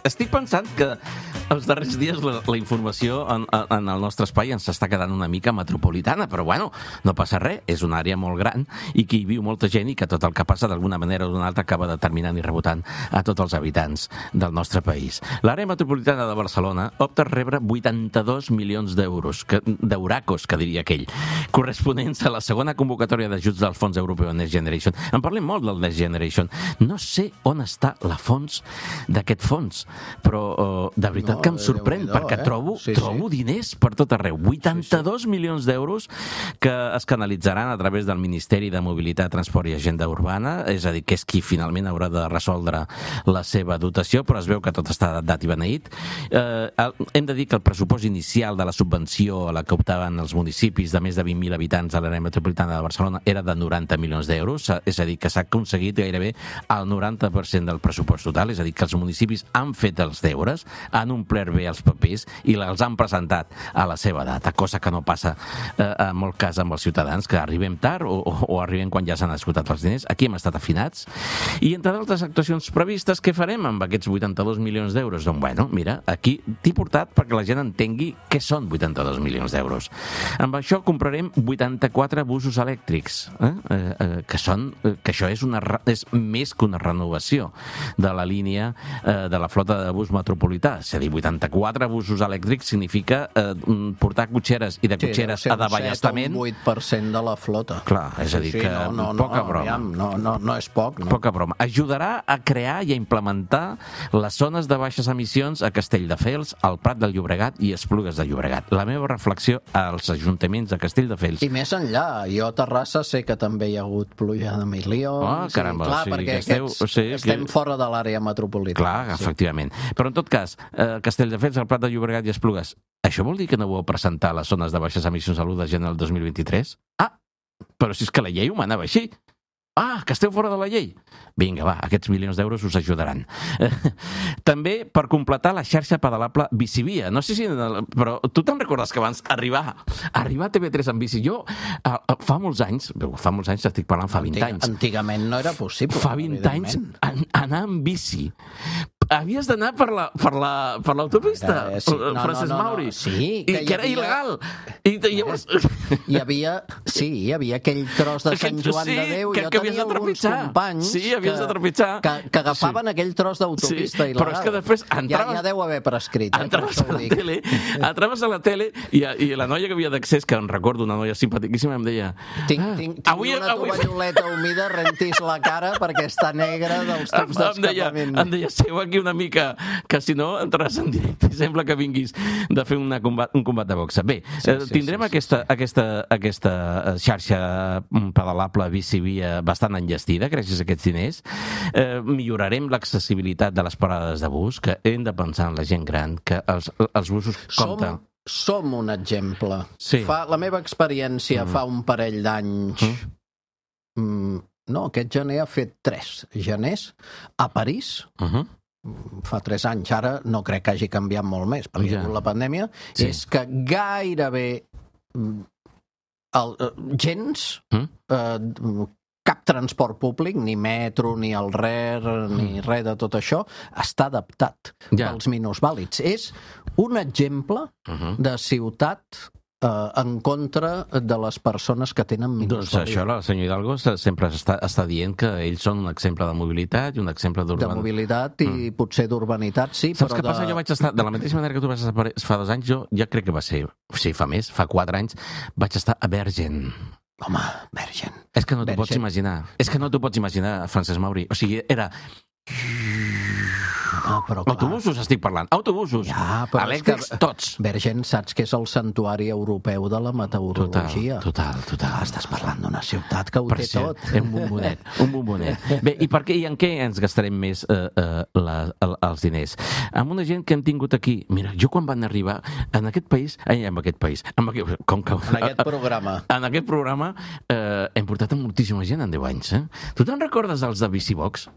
estic pensant que els darrers dies la informació en el nostre espai ens està quedant una mica metropolitana, però bueno, no passa res, és una àrea molt gran i que hi viu molta gent i que tot el que passa d'alguna manera o d'una altra acaba determinant i rebotant a tots els habitants del nostre país. L'àrea metropolitana de Barcelona opta a rebre 82 milions d'euros, d'euracos, que diria aquell, corresponents a la segona convocatòria d'ajuts del Fons Europeu Next Generation. En parlem molt del Next Generation. No sé on està la fons d'aquest fons, però de veritat que em sorprèn, perquè trobo diners per tot arreu. 82 milions d'euros que es canalitzaran a través del Ministeri de Mobilitat, Transport i Agenda Urbana, és a dir, que és qui finalment haurà de resoldre la seva dotació, però es veu que tot està dat i beneït. Hem de dir que el pressupost inicial de la subvenció a la que optaven els municipis de més de 20.000 habitants a l'àrea metropolitana de Barcelona era de 90 milions d'euros, és a dir, que s'ha aconseguit gairebé el 90% del pressupost total, és a dir, que els municipis han fet els deures, han omplert bé els papers i els han presentat a la seva data, cosa que no passa en molt cas amb els ciutadans, que arribem tard o arribem quan ja s'han esgotat els diners. Aquí hem estat afinats. I entre d'altres actuacions previstes, què farem amb aquests 82 milions d'euros? Doncs bueno, mira, aquí t'he portat perquè la gent entengui què són 82 milions d'euros. Amb això comprarem 84 busos elèctrics, que això és més que una renovació de la línia de la flota de bus metropolità. És a dir, 84 busos elèctrics significa portar cotxeres i de cotxeres a davallastament. Un 8% de la flota. Clar, és a dir, que poca broma. No és poc. No? Poca broma. Ajudarà a crear i a implementar les zones de baixes emissions a Castelldefels, al Prat del Llobregat i Esplugues de Llobregat. La meva reflexió als ajuntaments de Castelldefels. I més enllà, jo a Terrassa sé que també hi ha hagut pluja de milions. Caramba, clar, perquè estem fora de l'àrea metropolitana. Clar, efectivament. Però en tot cas, Castelldefels, el Prat de Llobregat i Esplugues, això vol dir que no ho heu presentat a les zones de baixes emissions a l'1 de gener del 2023? Però si és que la llei ho manava així. Que esteu fora de la llei. Vinga, va, aquests milions d'euros us ajudaran. També per completar la xarxa pedalable Bicivia. No sé si... Però tu te'n recordes que abans arribar a TV3 en bici? Jo, fa molts anys, estic parlant fa 20 anys. Antigament no era possible. Fa 20 anys anar en bici. Havies d'anar per l'autopista, Francesc Mauri. Sí, que era il·legal. I llavors... Hi havia aquell tros de Sant Joan de Déu. Jo tenia alguns companys que agafaven aquell tros d'autopista il·legal. Però és que després ja deu haver prescrit. Entraves a la tele i la noia que havia d'accés, que em recordo, una noia simpaticíssima, em deia... Tinc una tovalloleta humida, rentis la cara perquè està negra dels tubs d'escapament. Em deia, seu aquí una mica, que si no entraràs en directe i sembla que vinguis de fer un combat de boxa. Bé, tindrem aquesta xarxa pedalable Bicivia bastant enllestida gràcies a aquests diners. Millorarem l'accessibilitat de les parades de bus, que hem de pensar en la gent gran, que els busos compten. Som un exemple. Sí. La meva experiència fa un parell d'anys... No, aquest gener ha fet 3 geners a París. Fa 3 anys, ara no crec que hagi canviat molt més perquè hi ha hagut la pandèmia, és que gairebé gens, cap transport públic, ni metro, ni el RER, ni res de tot això, està adaptat pels minusvàlids. És un exemple de ciutat en contra de les persones que tenen minusvàlids. Doncs això, el senyor Hidalgo sempre està dient que ells són un exemple de mobilitat i un exemple de mobilitat i potser d'urbanitat, sí, però... Saps què passa? Jo vaig estar, de la mateixa manera que tu vas estar fa 2 anys, jo ja crec que va ser, sí, fa més, fa 4 anys, vaig estar a Bergen. Home, Bergen. És que no t'ho pots imaginar. És que no t'ho pots imaginar, Francesc Mauri. O sigui, era... Autobusos estic parlant, autobusos, elèctrics, tots. Bergen, saps que és el santuari europeu de la meteorologia. Total. Estàs parlant d'una ciutat que ho té tot. Un bombonet. Bé, i per què i en què ens gastarem més els diners? Amb una gent que hem tingut aquí, mira, jo quan van arribar en aquest programa hem portat moltíssima gent en 10 anys. Tu te'n recordes dels de Bicibox?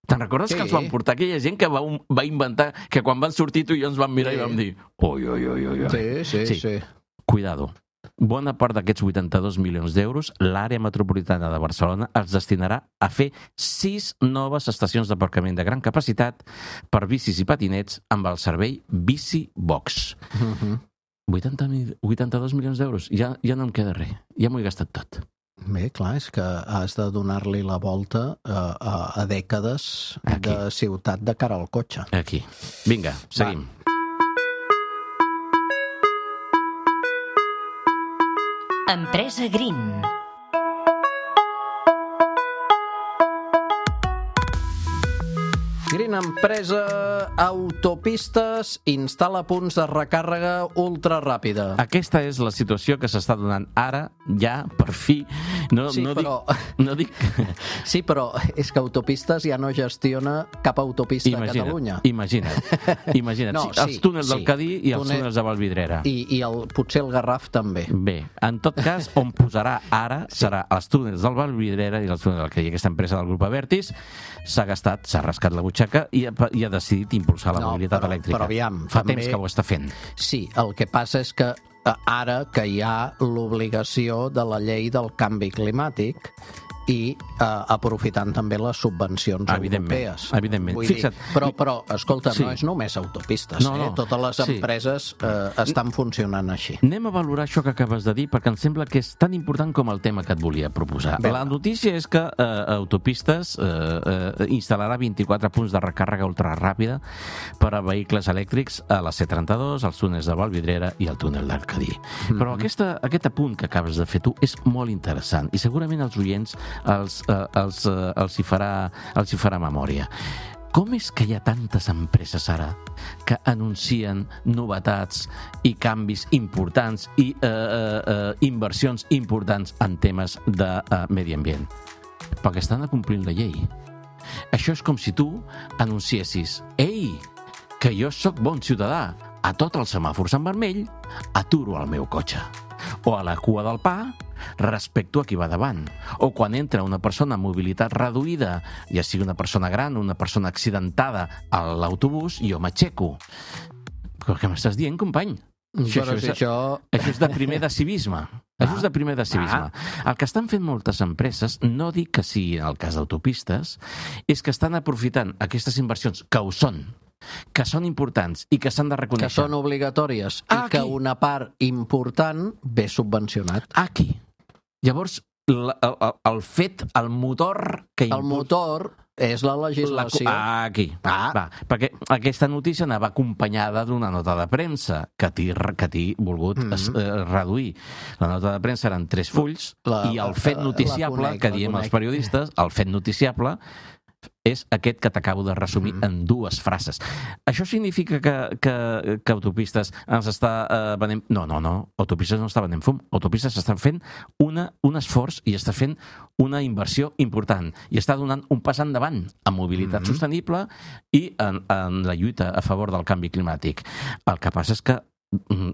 Te'n recordes que ens van portar aquella gent que va inventar que quan van sortir tu i jo ens vam mirar i vam dir oi. Sí. Cuidado. Bona part d'aquests 82 milions d'euros, l'àrea metropolitana de Barcelona els destinarà a fer 6 noves estacions d'aparcament de gran capacitat per bicis i patinets amb el servei Bicibox. 82 milions d'euros. Ja no em queda res. Ja m'ho he gastat tot. Bé, clar, és que has de donar-li la volta a dècades de ciutat de cara al cotxe. Aquí. Vinga, seguim. Empresa Green. Green Empresa Autopistes instal·la punts de recàrrega ultraràpida. Aquesta és la situació que s'està donant ara, ja, per fi. Sí, però és que Autopistes ja no gestiona cap autopista a Catalunya. Imagina't. Els túnels del Cadí i els túnels de Vallvidrera. I potser el Garraf també. Bé, en tot cas, on posarà ara serà els túnels del Vallvidrera i els túnels del Cadí. Aquesta empresa del grup Abertis s'ha rascat la butxaca i ha decidit impulsar la mobilitat elèctrica. Però aviam, fa temps que ho està fent. Sí, el que passa és que ara que hi ha l'obligació de la llei del canvi climàtic i aprofitant també les subvencions europees. Evidentment. Fixa't. Però, escolta, no és només autopistes. Totes les empreses estan funcionant així. Anem a valorar això que acabes de dir, perquè em sembla que és tan important com el tema que et volia proposar. La notícia és que Autopistes instal·larà 24 punts de recàrrega ultraràpida per a vehicles elèctrics a la C32, als túnels de Vallvidrera i al túnel del Cadí. Però aquest apunt que acabes de fer tu és molt interessant i segurament els oients els hi farà memòria. Com és que hi ha tantes empreses ara que anuncien novetats i canvis importants i inversions importants en temes de medi ambient? Perquè estan complint la llei. Això és com si tu anunciessis: ei, que jo sóc bon ciutadà, a tots els semàfors en vermell aturo el meu cotxe. O a la cua del pa respecto a qui va davant. O quan entra una persona amb mobilitat reduïda, ja sigui una persona gran o una persona accidentada a l'autobús, jo m'aixeco. Però què m'estàs dient, company? Això és de primer de civisme. Això és de primer de civisme. El que estan fent moltes empreses, no dic que sigui en el cas d'autopistes, és que estan aprofitant aquestes inversions, que ho són, que són importants i que s'han de reconèixer. Que són obligatòries i que una part important ve subvencionat. Aquí. Llavors, el fet, el motor que el motor és la legislació. Aquí. Va, perquè aquesta notícia anava acompanyada d'una nota de premsa que t'he volgut reduir. La nota de premsa eren 3 fulls i el fet noticiable, que diem els periodistes, el fet noticiable és aquest que t'acabo de resumir en 2 frases. Això significa que Autopistes ens està venent... No. Autopistes no està venent fum. Autopistes està fent un esforç i està fent una inversió important i està donant un pas endavant en mobilitat sostenible i en la lluita a favor del canvi climàtic. El que passa és que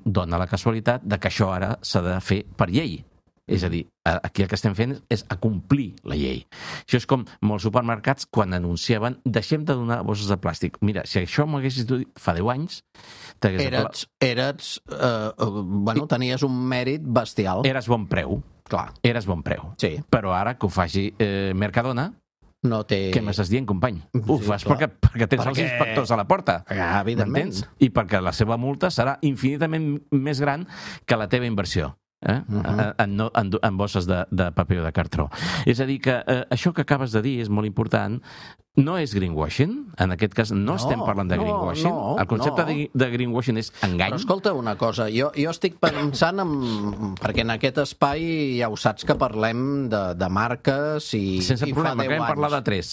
dona la casualitat de que això ara s'ha de fer per llei. És a dir, aquí el que estem fent és acomplir la llei. Això és com molts supermercats quan anunciaven deixem de donar bosses de plàstic. Mira, si això m'ho haguessis dit fa 10 anys... tenies un mèrit bestial. Eres bon preu. Clar. eres bon preu. Sí. Però ara que ho faci Mercadona, No té... què m'estàs dient, company? Ho Sí, fas clar. perquè tens els inspectors a la porta. Evidentment. M'entens? I perquè la seva multa serà infinitament més gran que la teva inversió. En bosses de paper o de cartró. És a dir, que això que acabes de dir és molt important. No és greenwashing, en aquest cas no estem parlant de greenwashing. El concepte de greenwashing és engany. Però escolta una cosa, jo estic pensant perquè en aquest espai ja ho saps que parlem de marques i Sense problema, fa 10 acabem anys. parlar de 3.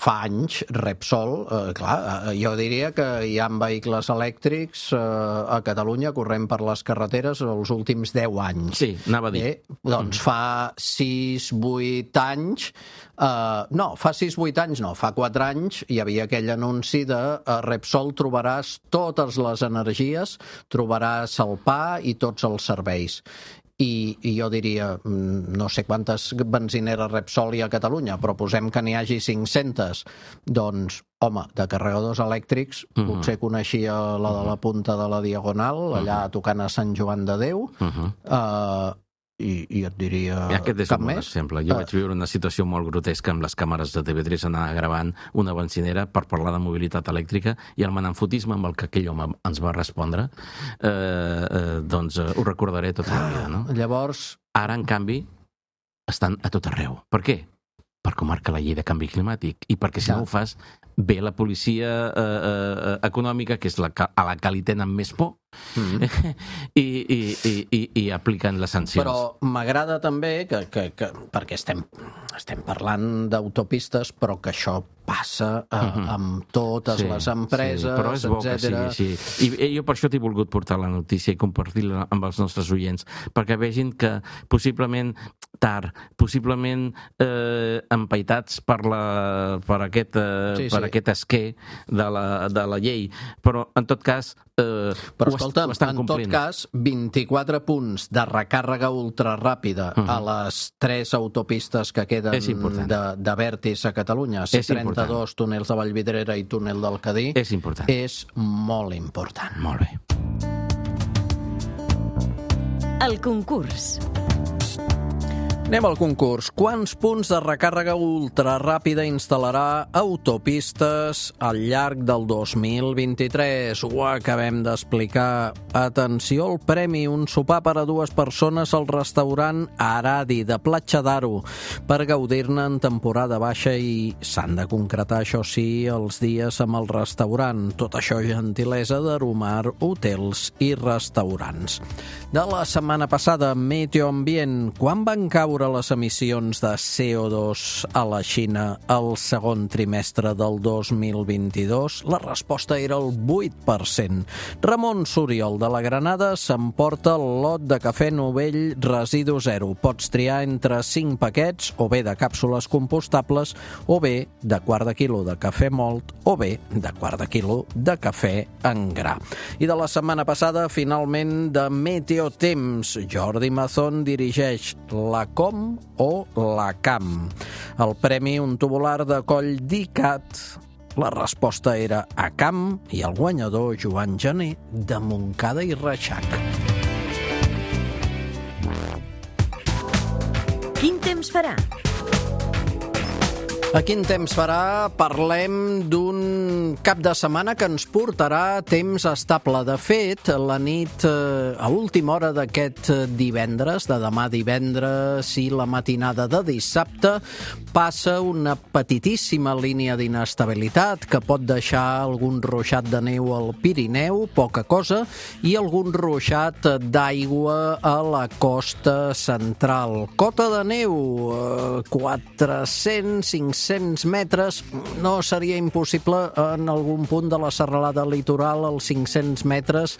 Fa anys, Repsol, clar, jo diria que hi ha vehicles elèctrics a Catalunya corrent per les carreteres els últims 10 anys. Sí, anava a dir. Doncs fa 6-8 anys, fa 6-8 anys no, fa 4 anys hi havia aquell anunci de Repsol trobaràs totes les energies, trobaràs el pa i tots els serveis. I jo diria, no sé quantes benzineres Repsol hi ha a Catalunya, però posem que n'hi hagi 500. Doncs, home, de carregadors elèctrics, potser coneixia la de la punta de la Diagonal, allà tocant a Sant Joan de Déu, i et diria Aquest és cap un bon més. exemple. Jo vaig viure una situació molt grotesca amb les càmeres de TV3 anar gravant una benzinera per parlar de mobilitat elèctrica i el menamfotisme amb el que aquell home ens va respondre, doncs ho recordaré tota la vida, no? Llavors, Ara, en canvi, estan a tot arreu. Per què? Perquè ho marca la llei de canvi climàtic i perquè si no ho fas, ve la policia econòmica, que és a la que li tenen més por, i apliquen les sancions. però m'agrada també que perquè estem parlant d'autopistes, però que això passa amb totes les empreses, però és bo que sigui així. I jo per això t'he volgut portar la notícia i compartir-la amb els nostres oients, perquè vegin que possiblement tard, possiblement empaitats per aquest esquer de la llei, però en tot cas però escolta, en tot cas 24 punts de recàrrega ultraràpida a les 3 autopistes que queden de Vertis a Catalunya, C32, túnels de Vallvidrera i túnel del Cadí, és important. És molt important. Molt bé. El concurs. Anem al concurs. Quants punts de recàrrega ultraràpida instal·larà Autopistes al llarg del 2023? Ho acabem d'explicar. Atenció al premi, un sopar per a 2 persones al restaurant Aradi de Platja d'Aro per gaudir-ne en temporada baixa i s'han de concretar, això sí, els dies amb el restaurant. Tot això gentilesa d'Aromar Hotels i Restaurants. De la setmana passada, Meteoambient, quan van caure les emissions de CO2 a la Xina el segon trimestre del 2022? La resposta era el 8%. Ramon Suriol de la Granada s'emporta el lot de cafè Novell Residu Zero. Pots triar entre 5 paquets, o bé de càpsules compostables, o bé de quart de quilo de cafè mòlt, o bé de quart de quilo de cafè en gra. I de la setmana passada, finalment, de Meteotemps. Jordi Mazón dirigeix la Com o la Cam. El premi, un tubular de coll d'ICAT. La resposta era a Cam i el guanyador, Joan Gené, de Montcada i Reixac. Quin temps farà? A quin temps farà? Parlem d'un cap de setmana que ens portarà temps estable. De fet, la nit a última hora d'aquest divendres, de demà divendres i la matinada de dissabte, passa una petitíssima línia d'inestabilitat que pot deixar algun ruixat de neu al Pirineu, poca cosa, i algun ruixat d'aigua a la costa central. Cota de neu, 400-500 metres, no seria impossible en algun punt de la serralada litoral, als 500 metres,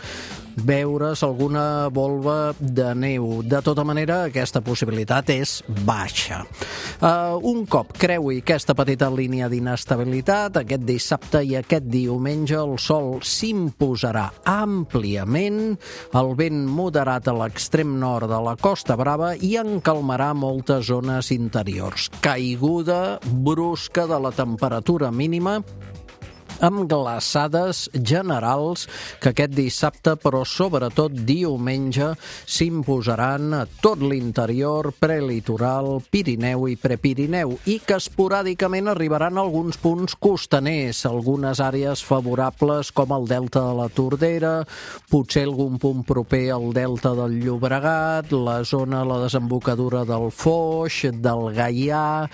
veure's alguna volva de neu. De tota manera, aquesta possibilitat és baixa. Un cop creui aquesta petita línia d'inestabilitat, aquest dissabte i aquest diumenge el sol s'imposarà àmpliament, el vent moderat a l'extrem nord de la Costa Brava i encalmarà moltes zones interiors. Caiguda brusca de la temperatura mínima amb glaçades generals que aquest dissabte, però sobretot diumenge, s'imposaran a tot l'interior, prelitoral, Pirineu i prepirineu, i que esporàdicament arribaran a alguns punts costaners, algunes àrees favorables com el delta de la Tordera, potser algun punt proper al delta del Llobregat, la zona, la desembocadura del Foix, del Gaià,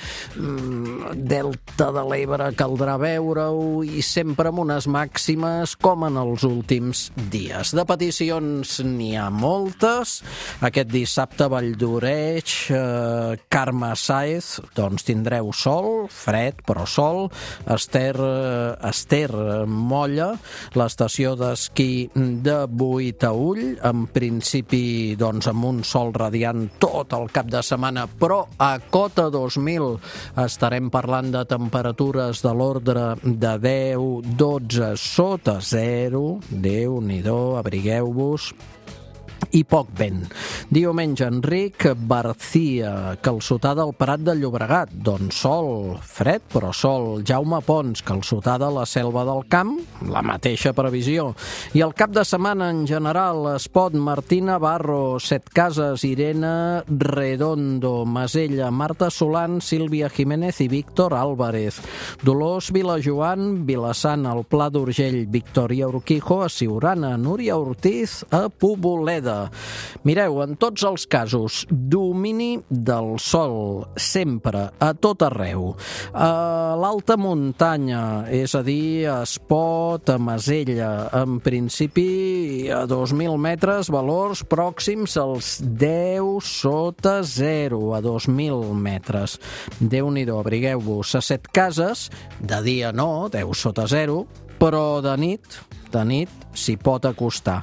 delta de l'Ebre caldrà veure-ho, i sempre amb unes màximes com en els últims dies. De peticions n'hi ha moltes. Aquest dissabte Valldoreix, Carme Sáez, doncs tindreu sol, fred però sol, Ester Molla, l'estació d'esquí de Boitaüll, en principi doncs amb un sol radiant tot el cap de setmana, però a cota 2000 estarem parlant de temperatures de l'ordre de 10-12 sota zero, Déu-n'hi-do, abrigueu-vos, i poc vent. Diumenge, Enric Barcia, Calçotada al Prat de Llobregat, doncs sol, fred però sol. Jaume Pons, Calçotada a la Selva del Camp, la mateixa previsió. I el cap de setmana en general, Espot, Martina Barro, Setcases, Irene Redondo, Masella, Marta Solan, Sílvia Jiménez i Víctor Álvarez. Dolors Vilajoan, Vilassant, al Pla d'Urgell, Victòria Urquijo, a Siurana, Núria Ortiz, a Poboleda. Mireu, en tots els casos, domini del sol, sempre, a tot arreu. A l'alta muntanya, és a dir, a Espot, a Masella, en principi a 2.000 metres, valors pròxims als 10 sota 0, a 2.000 metres. Déu-n'hi-do, abrigueu-vos. A Setcases, de dia no, 10 sota 0, però de nit s'hi pot acostar.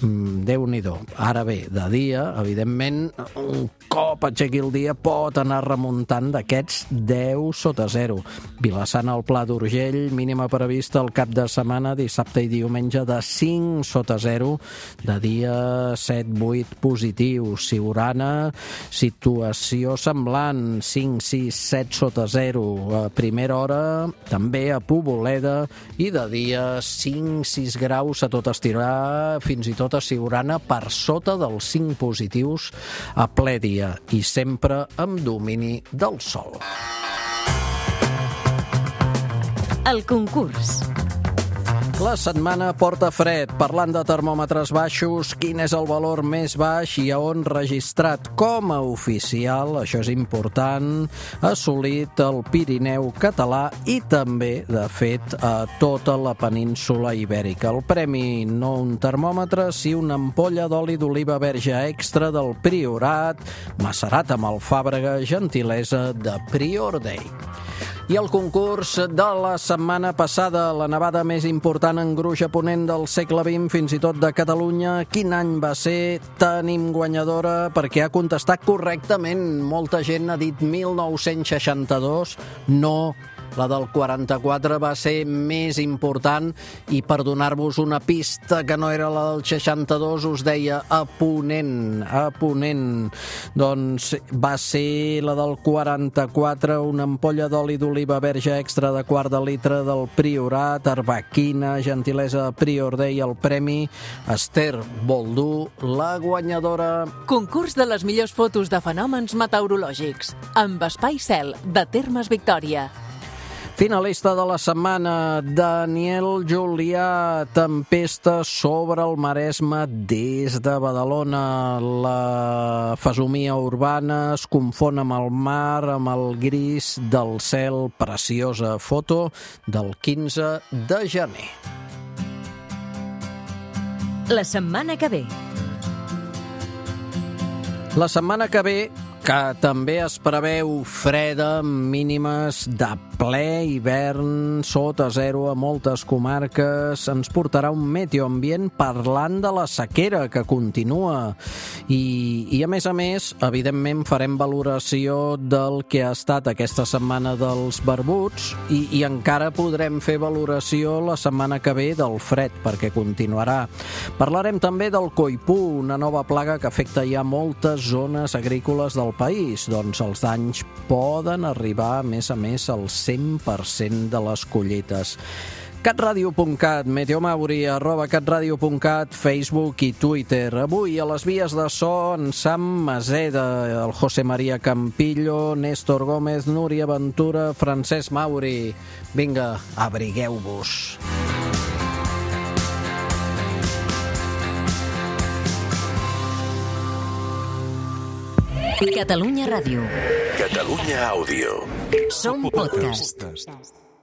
Déu-n'hi-do. Ara bé, de dia, evidentment, un cop aixequi el dia pot anar remuntant d'aquests 10 sota 0. Vilassant al Pla d'Urgell, mínima prevista el cap de setmana, dissabte i diumenge, de 5 sota 0, de dia 7-8 positius. Siurana, situació semblant, 5-6-7 sota 0. A primera hora, també a Poboleda, i de dia 5-6 graus a tot estirar, fins i tot a Siurana, per sota dels 5 positius a ple dia, i sempre amb domini del sol. El concurs. La setmana porta fred. Parlant de termòmetres baixos, quin és el valor més baix i a on registrat com a oficial, això és important, assolit el Pirineu català i també, de fet, a tota la península ibèrica. El premi, no un termòmetre, sí una ampolla d'oli d'oliva verge extra del Priorat, macerat amb alfàbrega, gentilesa de Prior Day. I el concurs de la setmana passada, la nevada més important en gruix a ponent del segle XX, fins i tot de Catalunya. Quin any va ser? Tenim guanyadora perquè ha contestat correctament. Molta gent ha dit 1962, no. La del 44 va ser més important i per donar-vos una pista que no era la del 62 us deia a ponent. Doncs va ser la del 44, una ampolla d'oli d'oliva verge extra de quart de litre del Priorat, arbequina, gentilesa de Prior Day, el premi Ester Boldú, la guanyadora. Concurs de les millors fotos de fenòmens meteorològics amb Espai Cel de Termes Victòria. Finalista de la setmana, Daniel Julià, tempesta sobre el Maresme des de Badalona. La fesomia urbana es confon amb el mar, amb el gris del cel. Preciosa foto del 15 de gener. La setmana que ve. La setmana que ve, que també es preveu freda, mínimes de ple hivern, sota zero a moltes comarques, ens portarà un meteoambient parlant de la sequera que continua. I a més, evidentment, farem valoració del que ha estat aquesta setmana dels barbuts i encara podrem fer valoració la setmana que ve del fred, perquè continuarà. Parlarem també del coipú, una nova plaga que afecta ja moltes zones agrícoles del país. Doncs els danys poden arribar, a més, al 100% de les collites. catradio.cat, meteomauri, @catradio.cat, Facebook i Twitter. Avui a les vies de so en Sam Maseda, el José María Campillo, Néstor Gómez, Núria Ventura, Francesc Mauri. Vinga, abrigueu-vos. Catalunya Ràdio. Catalunya Àudio. Som podcast.